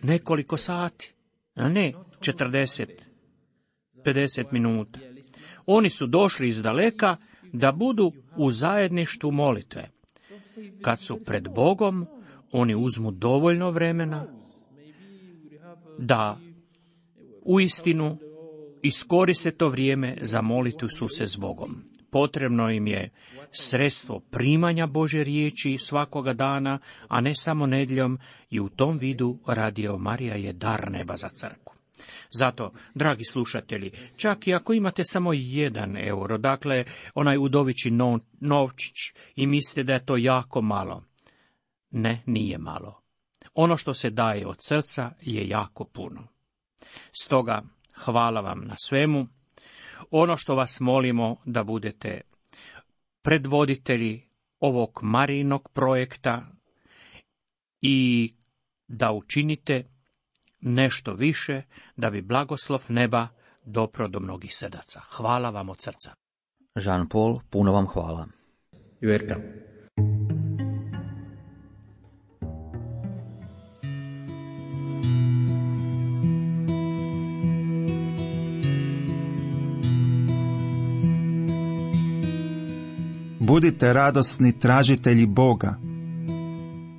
nekoliko sati, a ne 40-50 minuta. Oni su došli iz daleka da budu u zajedništvu molitve. Kad su pred Bogom, oni uzmu dovoljno vremena da uistinu iskoriste to vrijeme za molitvu se s Bogom. Potrebno im je sredstvo primanja Božje riječi svakoga dana, a ne samo nedjeljom, i u tom vidu Radio Marija je dar neba za crkvu. Zato, dragi slušatelji, čak i ako imate samo 1 euro, dakle onaj udovići novčić, i mislite da je to jako malo, ne, nije malo. Ono što se daje od srca je jako puno. Stoga, hvala vam na svemu. Ono što vas molimo da budete predvoditelji ovog Marijinog projekta i da učinite nešto više da bi blagoslov neba dopro do mnogih srdaca. Hvala vam od srca. Jean Paul, puno vam hvala. You're welcome. Budite radosni tražitelji Boga.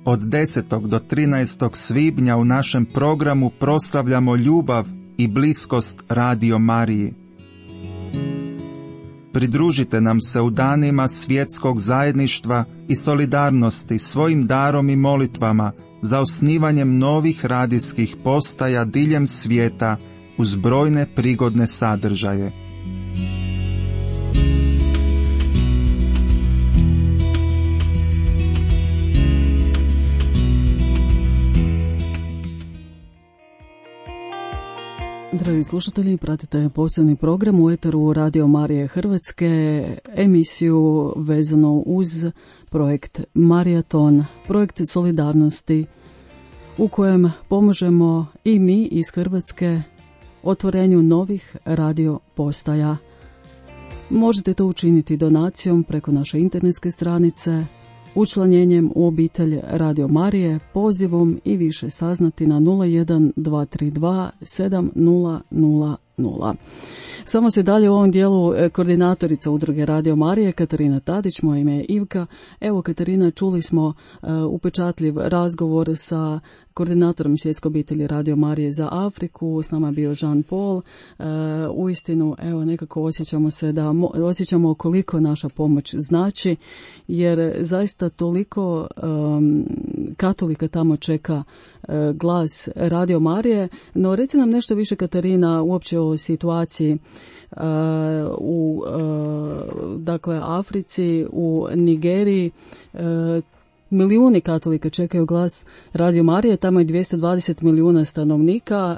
Od 10. do 13. svibnja u našem programu proslavljamo ljubav i bliskost Radio Mariji. Pridružite nam se u danima svjetskog zajedništva i solidarnosti svojim darom i molitvama za osnivanjem novih radijskih postaja diljem svijeta uz brojne prigodne sadržaje. Dragi slušatelji, pratite posebni program u eteru Radio Marije Hrvatske, emisiju vezano uz projekt Marijaton, projekt solidarnosti u kojem pomažemo i mi iz Hrvatske otvorenju novih radio postaja. Možete to učiniti donacijom preko naše internetske stranice, učlanjenjem u obitelj Radio Marije, pozivom i više saznati na 01 232 7000. Samo se dalje u ovom dijelu koordinatorica udruge Radio Marije Katarina Tadić, moje ime je Ivka. Evo Katarina, čuli smo upečatljiv razgovor sa koordinatorom Svjetske obitelji Radio Marije za Afriku. S nama je bio Jean Paul. Uistinu, evo, nekako osjećamo koliko naša pomoć znači, jer zaista toliko katolika tamo čeka glas Radio Marije. No, reci nam nešto više, Katarina, uopće o situaciji u dakle Africi, u Nigeriji. Milijuni katolika čekaju glas Radio Marije, tamo je 220 milijuna stanovnika.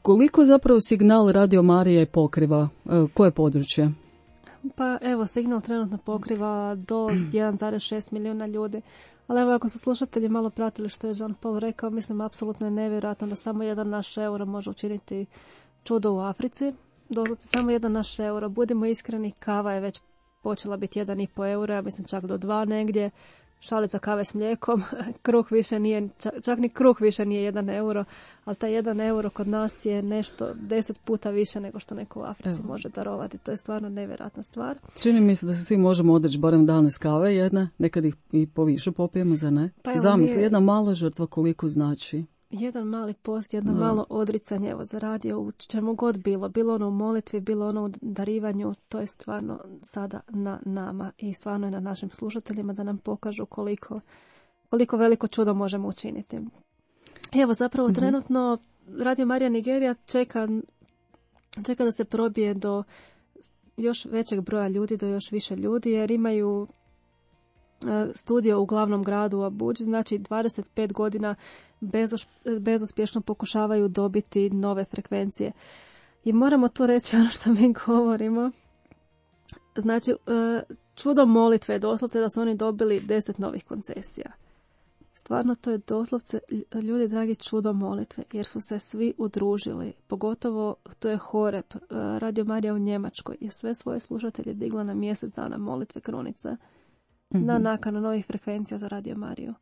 Koliko zapravo signal Radio Marije pokriva? Koje područje? Pa evo, signal trenutno pokriva do 1,6 milijuna ljudi. Ali evo, ako su slušatelji malo pratili što je Jean Paul rekao, mislim, apsolutno je nevjerojatno da samo jedan naš euro može učiniti čudo u Africi. Doslovce samo jedan naš euro. Budimo iskreni, kava je već počela biti 1,5 euro, ja mislim čak do 2 negdje. Šalica kave s mlijekom, kruh više nije, čak ni kruh više nije 1 euro, ali taj 1 euro kod nas je nešto 10 puta više nego što neko u Africi može darovati. To je stvarno nevjerojatna stvar. Čini mi se da se svi možemo odreći barem danas kave jedne, nekad ih i poviše popijemo, za ne? Pa zamisli, jedna mala žrtva koliko znači. Jedan mali post, jedno malo odricanje, evo, za radio, u čemu god bilo ono u molitvi, bilo ono u darivanju, to je stvarno sada na nama i stvarno je na našim slušateljima da nam pokažu koliko veliko čudo možemo učiniti. Evo, zapravo trenutno Radio Marija Nigerija čeka da se probije do još većeg broja ljudi, do još više ljudi, jer imaju studio u glavnom gradu u Abuđi, znači 25 godina bezuspješno pokušavaju dobiti nove frekvencije. I moramo to reći ono što mi govorimo. Znači, čudo molitve je doslovce da su oni dobili 10 novih koncesija. Stvarno to je doslovce, ljudi dragi, čudo molitve, jer su se svi udružili. Pogotovo to je Horeb, Radio Marija u Njemačkoj, je sve svoje slušatelje digla na mjesec dana molitve krunice. Na nakanu novih frekvencija za Radio Mariju.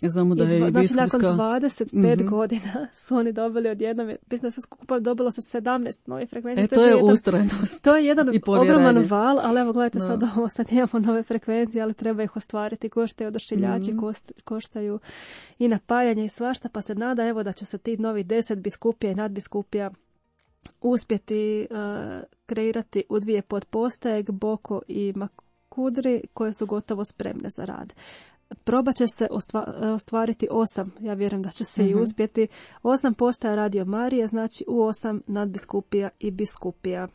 Znamo da je znači, nakon 25 godina su oni dobili odjednom, mislim da sve skupa dobilo se 17 novih frekvencija. To je ustrajnost. To je jedan ogroman val, ali evo gledajte sad ovo, sad imamo nove frekvencije, ali treba ih ostvariti, koštaju odašiljači, koštaju i napajanje i svašta, pa se nada evo da će se ti novi 10 biskupija i nadbiskupija uspjeti kreirati u 2 podpostaje, Gboko i Kudri, koje su gotovo spremne za rad. Probat će se ostvariti 8, ja vjerujem da će se i uspjeti, 8 postaja Radio Marije, znači u 8 nadbiskupija i biskupija.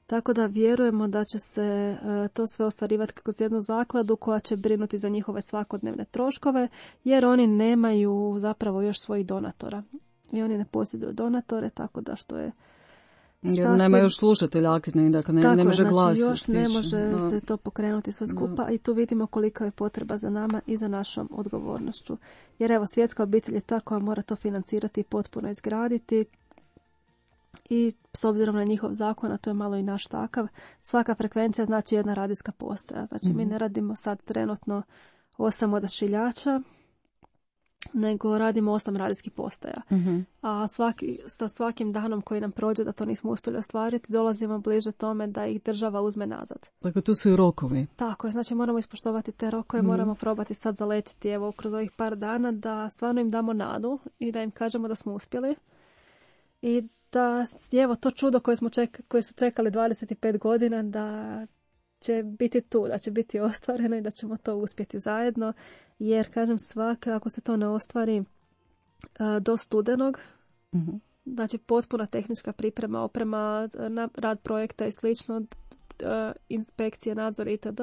Tako da vjerujemo da će se to sve ostvarivati kroz jednu zakladu koja će brinuti za njihove svakodnevne troškove, jer oni nemaju zapravo još svojih donatora. I oni ne posjeduju donatore, tako da što je jer nema još slušatelja aktivni, dakle ne može glas. Tako, još ne može se to pokrenuti sve skupa i tu vidimo kolika je potreba za nama i za našom odgovornošću. Jer evo, Svjetska obitelj je ta koja mora to financirati i potpuno izgraditi i s obzirom na njihov zakon, a to je malo i naš takav, svaka frekvencija znači jedna radijska postaja. Znači mi ne radimo sad trenutno 8 odašiljača, nego radimo 8 radijskih postaja. A sa svakim danom koji nam prođe da to nismo uspjeli ostvariti, dolazimo bliže tome da ih država uzme nazad. Dakle, tu su i rokovi. Tako je, znači moramo ispoštovati te rokove, moramo probati sad zaletiti evo kroz ovih par dana da stvarno im damo nadu i da im kažemo da smo uspjeli. I da, evo, to čudo koje su čekali 25 godina da će biti tu, da će biti ostvareno i da ćemo to uspjeti zajedno, jer kažem ako se to ne ostvari do studenog, znači potpuna tehnička priprema, oprema, rad projekta i slično, inspekcije, nadzor itd.,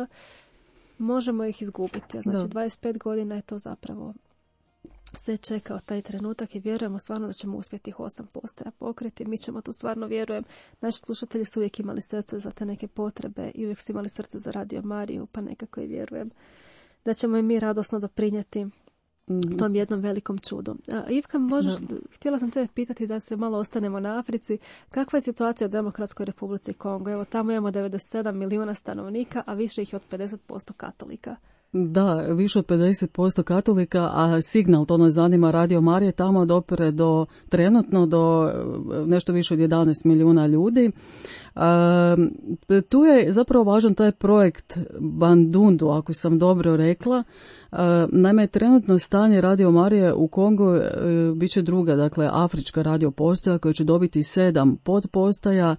možemo ih izgubiti. Znači 25 godina je to zapravo se čekao taj trenutak i vjerujemo stvarno da ćemo uspjeti 8 postaja pokriti. Mi ćemo tu stvarno, vjerujem, naši slušatelji su uvijek imali srce za te neke potrebe i uvijek su imali srce za Radio Mariju, pa nekako i vjerujem da ćemo i mi radosno doprinijeti tom jednom velikom čudu. Ivka, htjela sam te pitati da se malo ostanemo na Africi. Kakva je situacija u Demokratskoj Republici Kongo? Evo, tamo imamo 97 milijuna stanovnika, a više ih je od 50% katolika. Da, više od 50% katolika, a signal, to nas zanima, Radio Marija tamo dopire trenutno do nešto više od 11 milijuna ljudi. Tu je zapravo važan taj projekt Bandundu, ako sam dobro rekla. Naime, trenutno stanje Radio Marije u Kongu bit će druga, dakle afrička radio postaja koja će dobiti 7 podpostaja.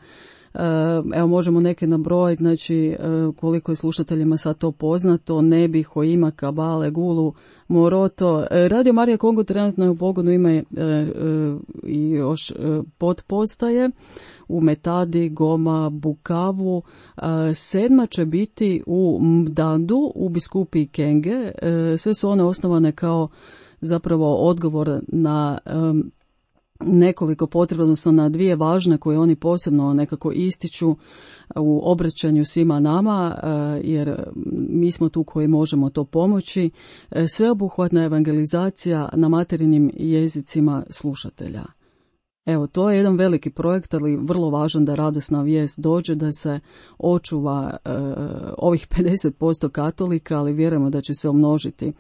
Evo možemo neke nabrojiti, znači koliko je slušateljima sad to poznato: Nebi, Hoima, Kabale, Gulu, Moroto. Radio Marija Kongo trenutno je u pogonu, ima i još podpostaje u Metadi, Goma, Bukavu. 7 će biti u Mdandu, u biskupiji Kenge. Sve su one osnovane kao zapravo odgovor na nekoliko potreba, odnosno na 2 važne koje oni posebno nekako ističu u obraćanju svima nama, jer mi smo tu koji možemo to pomoći. Sveobuhvatna evangelizacija na materinim jezicima slušatelja. Evo, to je jedan veliki projekt, ali vrlo važan da radosna vijest dođe, da se očuva ovih 50% katolika, ali vjerujemo da će se umnožiti,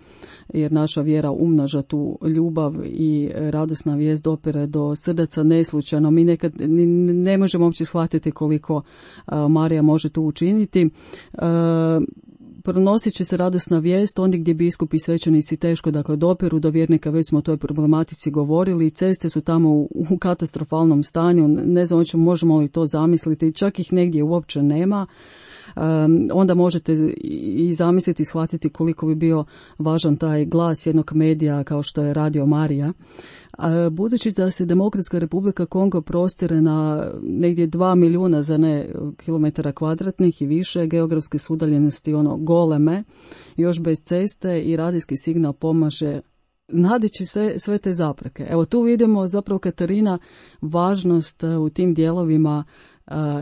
jer naša vjera umnaža tu ljubav i radosna vijest dopire do srdaca neslučajno. Mi nekad ne možemo uopće shvatiti koliko Marija može tu učiniti. Pronosit će se radosna vijest ondje gdje biskupi i svećenici teško dopiru do vjernika, već smo o toj problematici govorili. Ceste su tamo u katastrofalnom stanju, ne znam možemo li to zamisliti, čak ih negdje uopće nema. Onda možete i zamisliti i shvatiti koliko bi bio važan taj glas jednog medija kao što je Radio Marija. Budući da se Demokratska Republika Kongo prostire na negdje 2 milijuna za ne kilometara kvadratnih i više, geografske su udaljenosti goleme, još bez ceste, i radijski signal pomaže nadići sve te zapreke. Evo tu vidimo zapravo, Katarina, važnost u tim dijelovima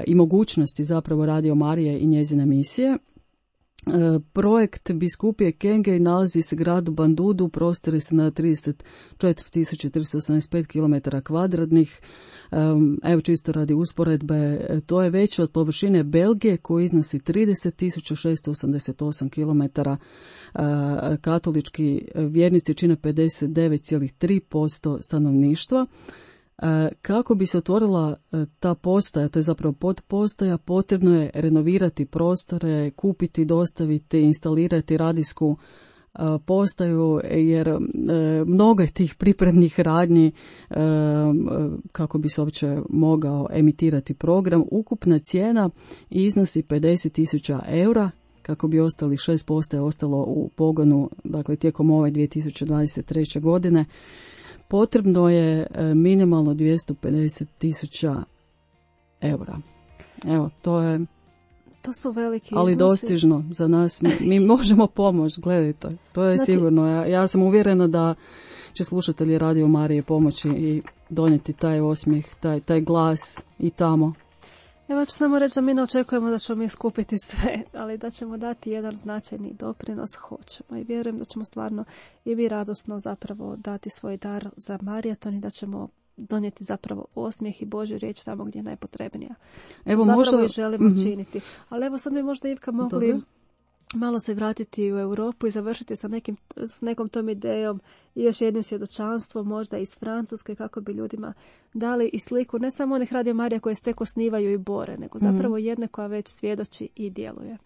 i mogućnosti zapravo Radio Marije i njezine misije. Projekt biskupije Kenge nalazi se gradu Bandudu, prostire se na 34.385 km kvadratnih. Evo čisto radi usporedbe, to je veće od površine Belgije koji iznosi 30.688 km. Katolički vjernici čine 59,3% stanovništva. Kako bi se otvorila ta postaja, to je zapravo podpostaja, potrebno je renovirati prostore, kupiti, dostaviti, instalirati radijsku postaju, jer mnogo je tih pripremnih radnji kako bi se uopće mogao emitirati program. Ukupna cijena iznosi 50.000 eura, kako bi ostali 6 postaja ostalo u pogonu, dakle tijekom ove 2023. godine. Potrebno je minimalno 250.000 eura. Evo, to su veliki ali iznosi. Dostižno za nas. Mi možemo pomoći, gledajte. To je sigurno. Ja sam uvjerena da će slušatelji Radio Marije pomoći i donijeti taj osmijeh, taj glas i tamo. Evo ću samo reći da mi ne očekujemo da ćemo mi skupiti sve, ali da ćemo dati jedan značajni doprinos, hoćemo. I vjerujem da ćemo stvarno i mi radosno zapravo dati svoj dar za Marijaton i da ćemo donijeti zapravo osmijeh i Božju riječ tamo gdje je najpotrebnija. Evo, zapravo možda... i želimo činiti. Ali evo sad bi možda, Ivka, mogli malo se vratiti u Europu i završiti s nekom tom idejom i još jednim svjedočanstvom, možda iz Francuske, kako bi ljudima dali i sliku ne samo onih Radio Marija koje se tek osnivaju i bore, nego zapravo jedne koja već svjedoči i djeluje.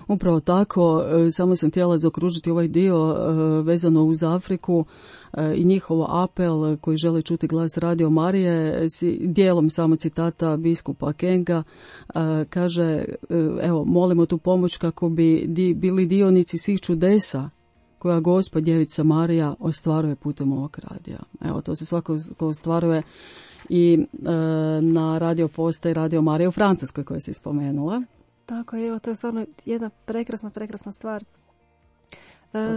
Upravo tako, samo sam htjela zaokružiti ovaj dio vezano uz Afriku i njihov apel koji žele čuti glas Radio Marije, dijelom samo citata biskupa Kenga, kaže, evo, molimo tu pomoć kako bi bili dionici svih čudesa koja Gospa Djevica Marija ostvaruje putem ovog radija. Evo, to se svako ostvaruje i na radio postaji Radio Marija u Francuskoj koja se spomenula. Tako je, evo, to je stvarno jedna prekrasna stvar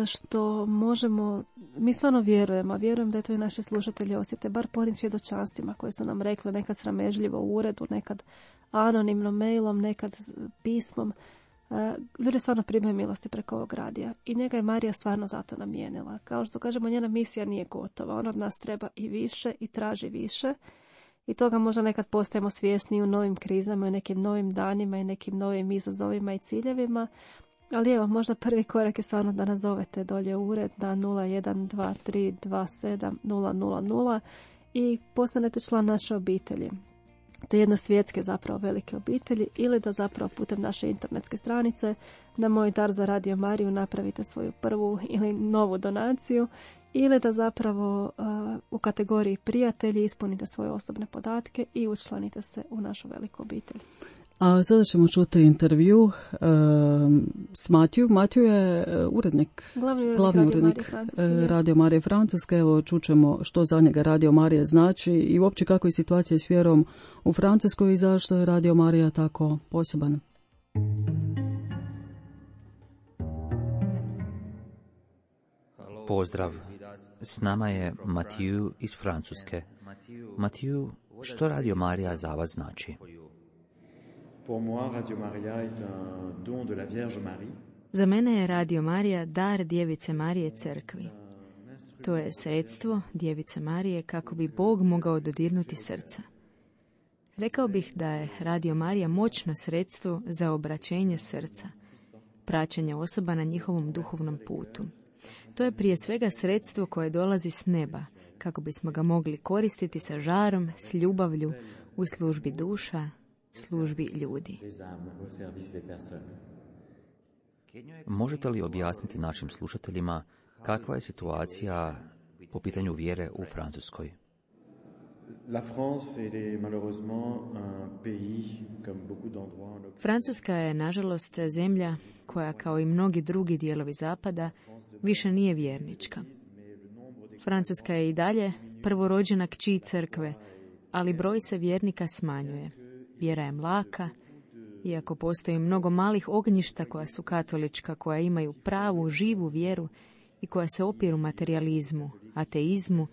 što možemo, mi stvarno vjerujem da je to i naši slušatelji osjete, bar po onim svjedočanstvima koje su nam rekli, nekad sramežljivo u uredu, nekad anonimno mailom, nekad pismom. Ljudi stvarno primaju milosti preko ovog radija i njega je Marija stvarno zato namijenila. Kao što kažemo, njena misija nije gotova, ona od nas treba i više i traži više. I toga možda nekad postajemo svjesni u novim krizama, u nekim novim danima i nekim novim izazovima i ciljevima, Ali evo, možda prvi korak je stvarno da nazovete dolje u ured na 0123270000 i postanete član naše obitelji. Te jedne svjetske zapravo velike obitelji, ili da zapravo putem naše internetske stranice na Moj dar za Radio Mariju napravite svoju prvu ili novu donaciju, ili da zapravo u kategoriji prijatelji ispunite svoje osobne podatke i učlanite se u našu veliku obitelj. A sada ćemo čuti intervju s Matiju. Matiju je urednik, glavni urednik Radio Marije Francuske. Evo, čućemo što za njega Radio Marija znači i uopće kako je situacija s vjerom u Francuskoj i zašto je Radio Marija tako poseban. Pozdrav, s nama je Matiju iz Francuske. Matiju, što Radio Marija za vas znači? Za mene je Radio Marija dar Djevice Marije crkvi. To je sredstvo Djevice Marije kako bi Bog mogao dodirnuti srca. Rekao bih da je Radio Marija moćno sredstvo za obraćenje srca, praćenje osoba na njihovom duhovnom putu. To je prije svega sredstvo koje dolazi s neba, kako bismo ga mogli koristiti sa žarom, s ljubavlju, u službi duša, službi ljudi. Možete li objasniti našim slušateljima kakva je situacija po pitanju vjere u Francuskoj? Francuska je, nažalost, zemlja koja, kao i mnogi drugi dijelovi zapada, više nije vjernička. Francuska je i dalje prvorođena kći crkve, ali broj se vjernika smanjuje. Vjera je mlaka, iako postoji mnogo malih ognjišta koja su katolička, koja imaju pravu, živu vjeru i koja se opiru materijalizmu, ateizmu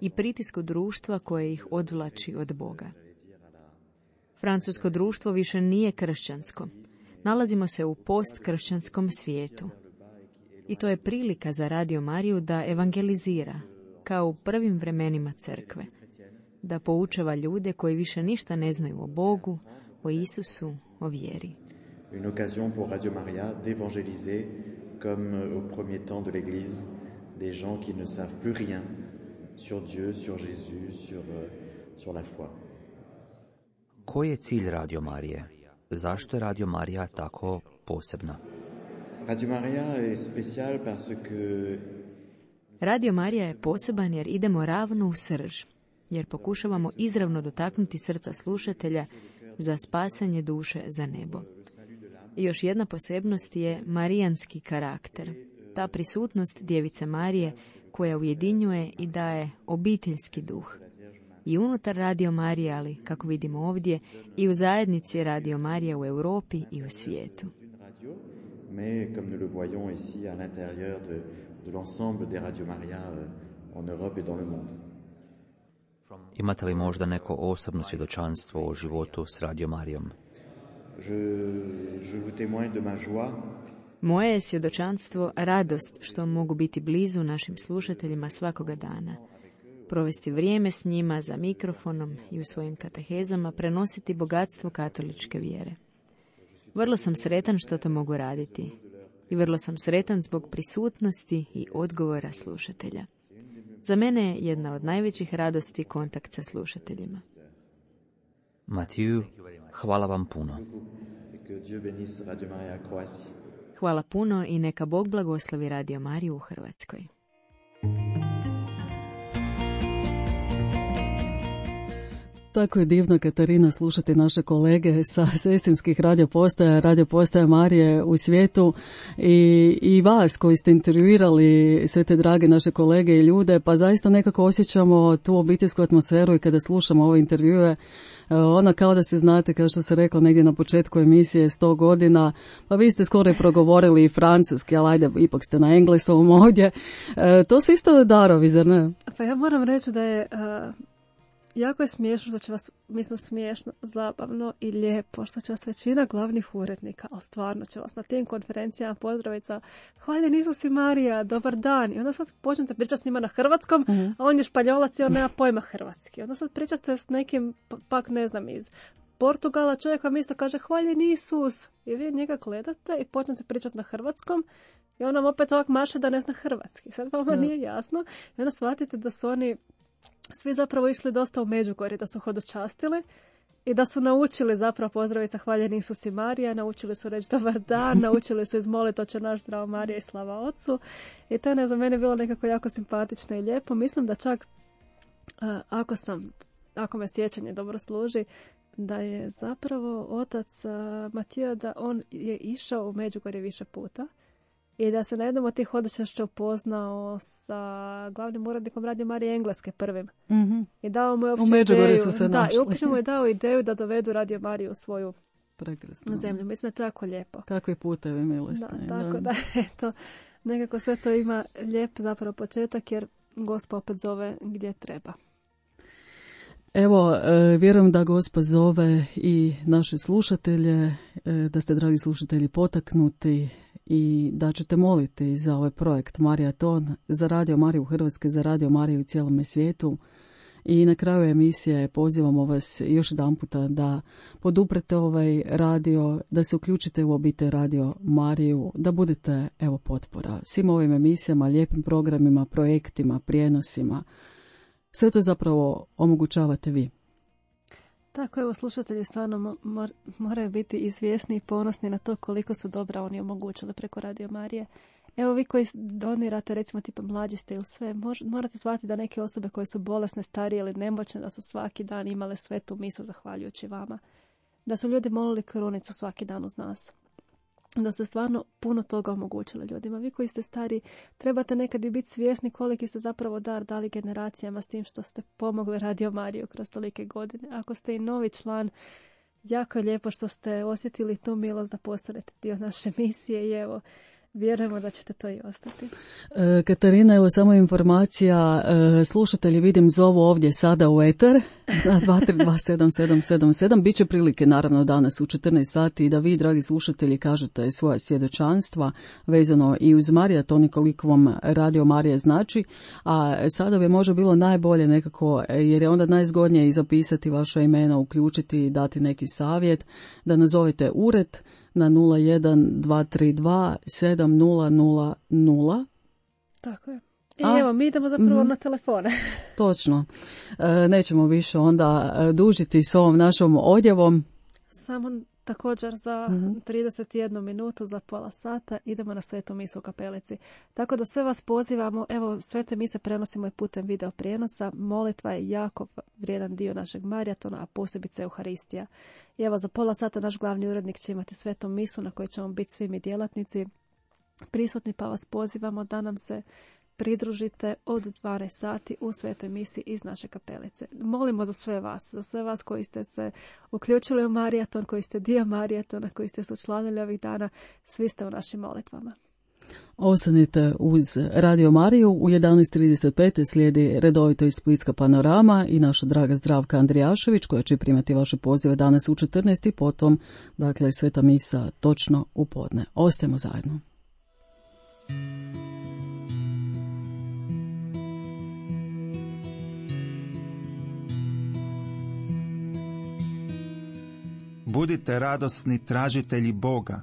i pritisku društva koje ih odvlači od Boga. Francusko društvo više nije kršćansko. Nalazimo se u postkršćanskom svijetu. I to je prilika za Radio Mariju da evangelizira, kao u prvim vremenima crkve, da poučava ljude koji više ništa ne znaju o Bogu, o Isusu, o vjeri. Une occasion pour Radio Maria d'évangéliser comme au premier temps de l'Église des gens qui ne savent plus rien sur Dieu, sur Jésus, sur la foi. Koji je cilj Radio Marije? Zašto je Radio Marija tako posebna? Radio Maria est spécial parce que Radio Marija je poseban jer idemo ravno u srž, jer pokušavamo izravno dotaknuti srca slušatelja za spasanje duše za nebo. I još jedna posebnost je marijanski karakter, ta prisutnost Djevice Marije koja ujedinjuje i daje obiteljski duh. I unutar Radio Marije, ali kako vidimo ovdje, i u zajednici Radio Marija u Europi i u svijetu. Mais comme nous le voyons ici à l'intérieur de l'ensemble des Radio Maria en Europe et dans le monde. Imate li možda neko osobno svjedočanstvo o životu s Radio Marijom? Je vous témoigne de ma joie. Moje je svjedočanstvo radost što mogu biti blizu našim slušateljima svakoga dana. Provesti vrijeme s njima za mikrofonom i u svojim katehezama prenositi bogatstvo katoličke vjere. Vrlo sam sretan što to mogu raditi i vrlo sam sretan zbog prisutnosti i odgovora slušatelja. Za mene je jedna od najvećih radosti kontakt sa slušateljima. Matiju, hvala vam puno. Hvala puno i neka Bog blagoslovi Radio Mariju u Hrvatskoj. Tako je divno, Katarina, slušati naše kolege sa sestrinskih radio postaja Marije u svijetu i vas koji ste intervjuirali sve te drage naše kolege i ljude, pa zaista nekako osjećamo tu obiteljsku atmosferu i kada slušamo ove intervjue, ona kao da se znate, kao što se rekla negdje na početku emisije, 100 godina, pa vi ste skoro i progovorili i francuski, ali ajde, ipak ste na engleskom ovdje. To su isto darovi, zar ne? Pa ja moram reći da je... jako je smiješno, što će vas, mislim smiješno, zabavno i lijepo, što će vas većina glavnih urednika, ali stvarno će vas na tim konferencijama pozdraviti sa hvaljen Isus i Marija, dobar dan. I onda sad počnete pričati s njima na hrvatskom, a on je španjolac i on nema pojma hrvatski. Onda sad pričate s nekim, pak ne znam, iz Portugala, čovjek vam isto kaže hvaljen Isus. I vi njega gledate i počnete pričati na hrvatskom i on vam opet ovak maše da ne zna hrvatski. Sad vama nije jasno. I onda shvatite da su oni svi zapravo išli dosta u Međugorje, da su hodočastili i da su naučili zapravo pozdraviti hvaljen Isus i Marija, naučili su reći dobar dan, naučili su izmoliti Oče naš, zdravo Marija i slava Otcu. I to je za mene bilo nekako jako simpatično i lijepo. Mislim da čak, ako me sjećanje dobro služi, da je zapravo otac Matija, da on je išao u Međugorje više puta i da se na jednom od tih hodočašća upoznao sa glavnim urednikom Radio Marije Engleske prvim. Mm-hmm. I dao mu je uopće ideju. Su se i uopće mu je dao ideju da dovedu Radio Mariju u svoju zemlju. Mislim da je to jako lijepo. Kakvi putevi milosti. Tako da, eto, nekako sve to ima lijep zapravo početak, jer Gospod opet zove gdje treba. Evo, vjerujem da Gospod zove i naše slušatelje, da ste, dragi slušatelji, potaknuti i da ćete moliti za ovaj projekt Marijaton, za Radio Mariju Hrvatske, za Radio Mariju u cijelome svijetu. I na kraju emisije pozivamo vas još jedan puta da poduprete ovaj radio, da se uključite u obitelj Radio Mariju, da budete, evo, potpora svim ovim emisijama, lijepim programima, projektima, prijenosima. Sve to zapravo omogućavate vi. Tako, evo, slušatelji stvarno moraju biti i svjesni i ponosni na to koliko su dobra oni omogućili preko Radio Marije. Evo, vi koji donirate, recimo tipa mlađi ste ili sve, morate shvatiti da neke osobe koje su bolesne, starije ili nemoćne, da su svaki dan imale svetu misu zahvaljujući vama. Da su ljudi molili krunicu svaki dan uz nas. Da ste stvarno puno toga omogućili ljudima. Vi koji ste stari, trebate nekad i biti svjesni koliki ste zapravo dar dali generacijama s tim što ste pomogli Radio Mariju kroz tolike godine. Ako ste i novi član, jako je lijepo što ste osjetili tu milost da postanete dio naše misije i evo, vjerujemo da ćete to i ostati. Katarina, evo samo informacija, slušatelji vidim zovu ovdje sada u eter na 2327777. Biće prilike naravno danas u 14 sati da vi, dragi slušatelji, kažete svoje svjedočanstva vezano i uz Marijaton i koliko vam Radio Marija znači, a sada bi možda bilo najbolje nekako, jer je onda najzgodnije i zapisati vaša imena, uključiti i dati neki savjet, da nazovete ured na 012327000. Tako je. Evo, mi idemo zapravo na telefone. Točno. Nećemo više onda dužiti s ovom našom odjavom. Samo također za 31 minutu, za pola sata idemo na svetu misu u kapelici. Tako da sve vas pozivamo, evo, svete mise prenosimo i putem video prijenosa. Molitva je jako vrijedan dio našeg Marijatona, a posebice Euharistija. I evo, za pola sata naš glavni urednik će imati svetu misu na kojoj ćemo biti svi mi djelatnici prisutni, pa vas pozivamo da nam se pridružite od 12 sati u svetoj misi iz naše kapelice. Molimo za sve vas koji ste se uključili u Marijaton, koji ste dio Marijatona, koji ste se učlanili ovih dana, svi ste u našim molitvama. Ostanite uz Radio Mariju, u 11:35 slijedi redovito iz Splitska panorama i naša draga Zdravka Andrijašević koja će primati vaše pozive danas u 14 i potom, dakle, sveta misa točno u podne. Ostajemo zajedno. Budite radosni tražitelji Boga.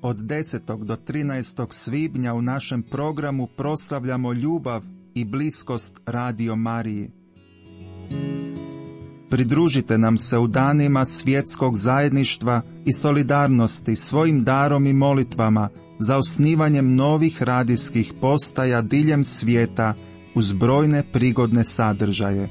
Od 10. do 13. svibnja u našem programu proslavljamo ljubav i bliskost Radio Mariji. Pridružite nam se u danima svjetskog zajedništva i solidarnosti svojim darom i molitvama za osnivanjem novih radijskih postaja diljem svijeta uz brojne prigodne sadržaje.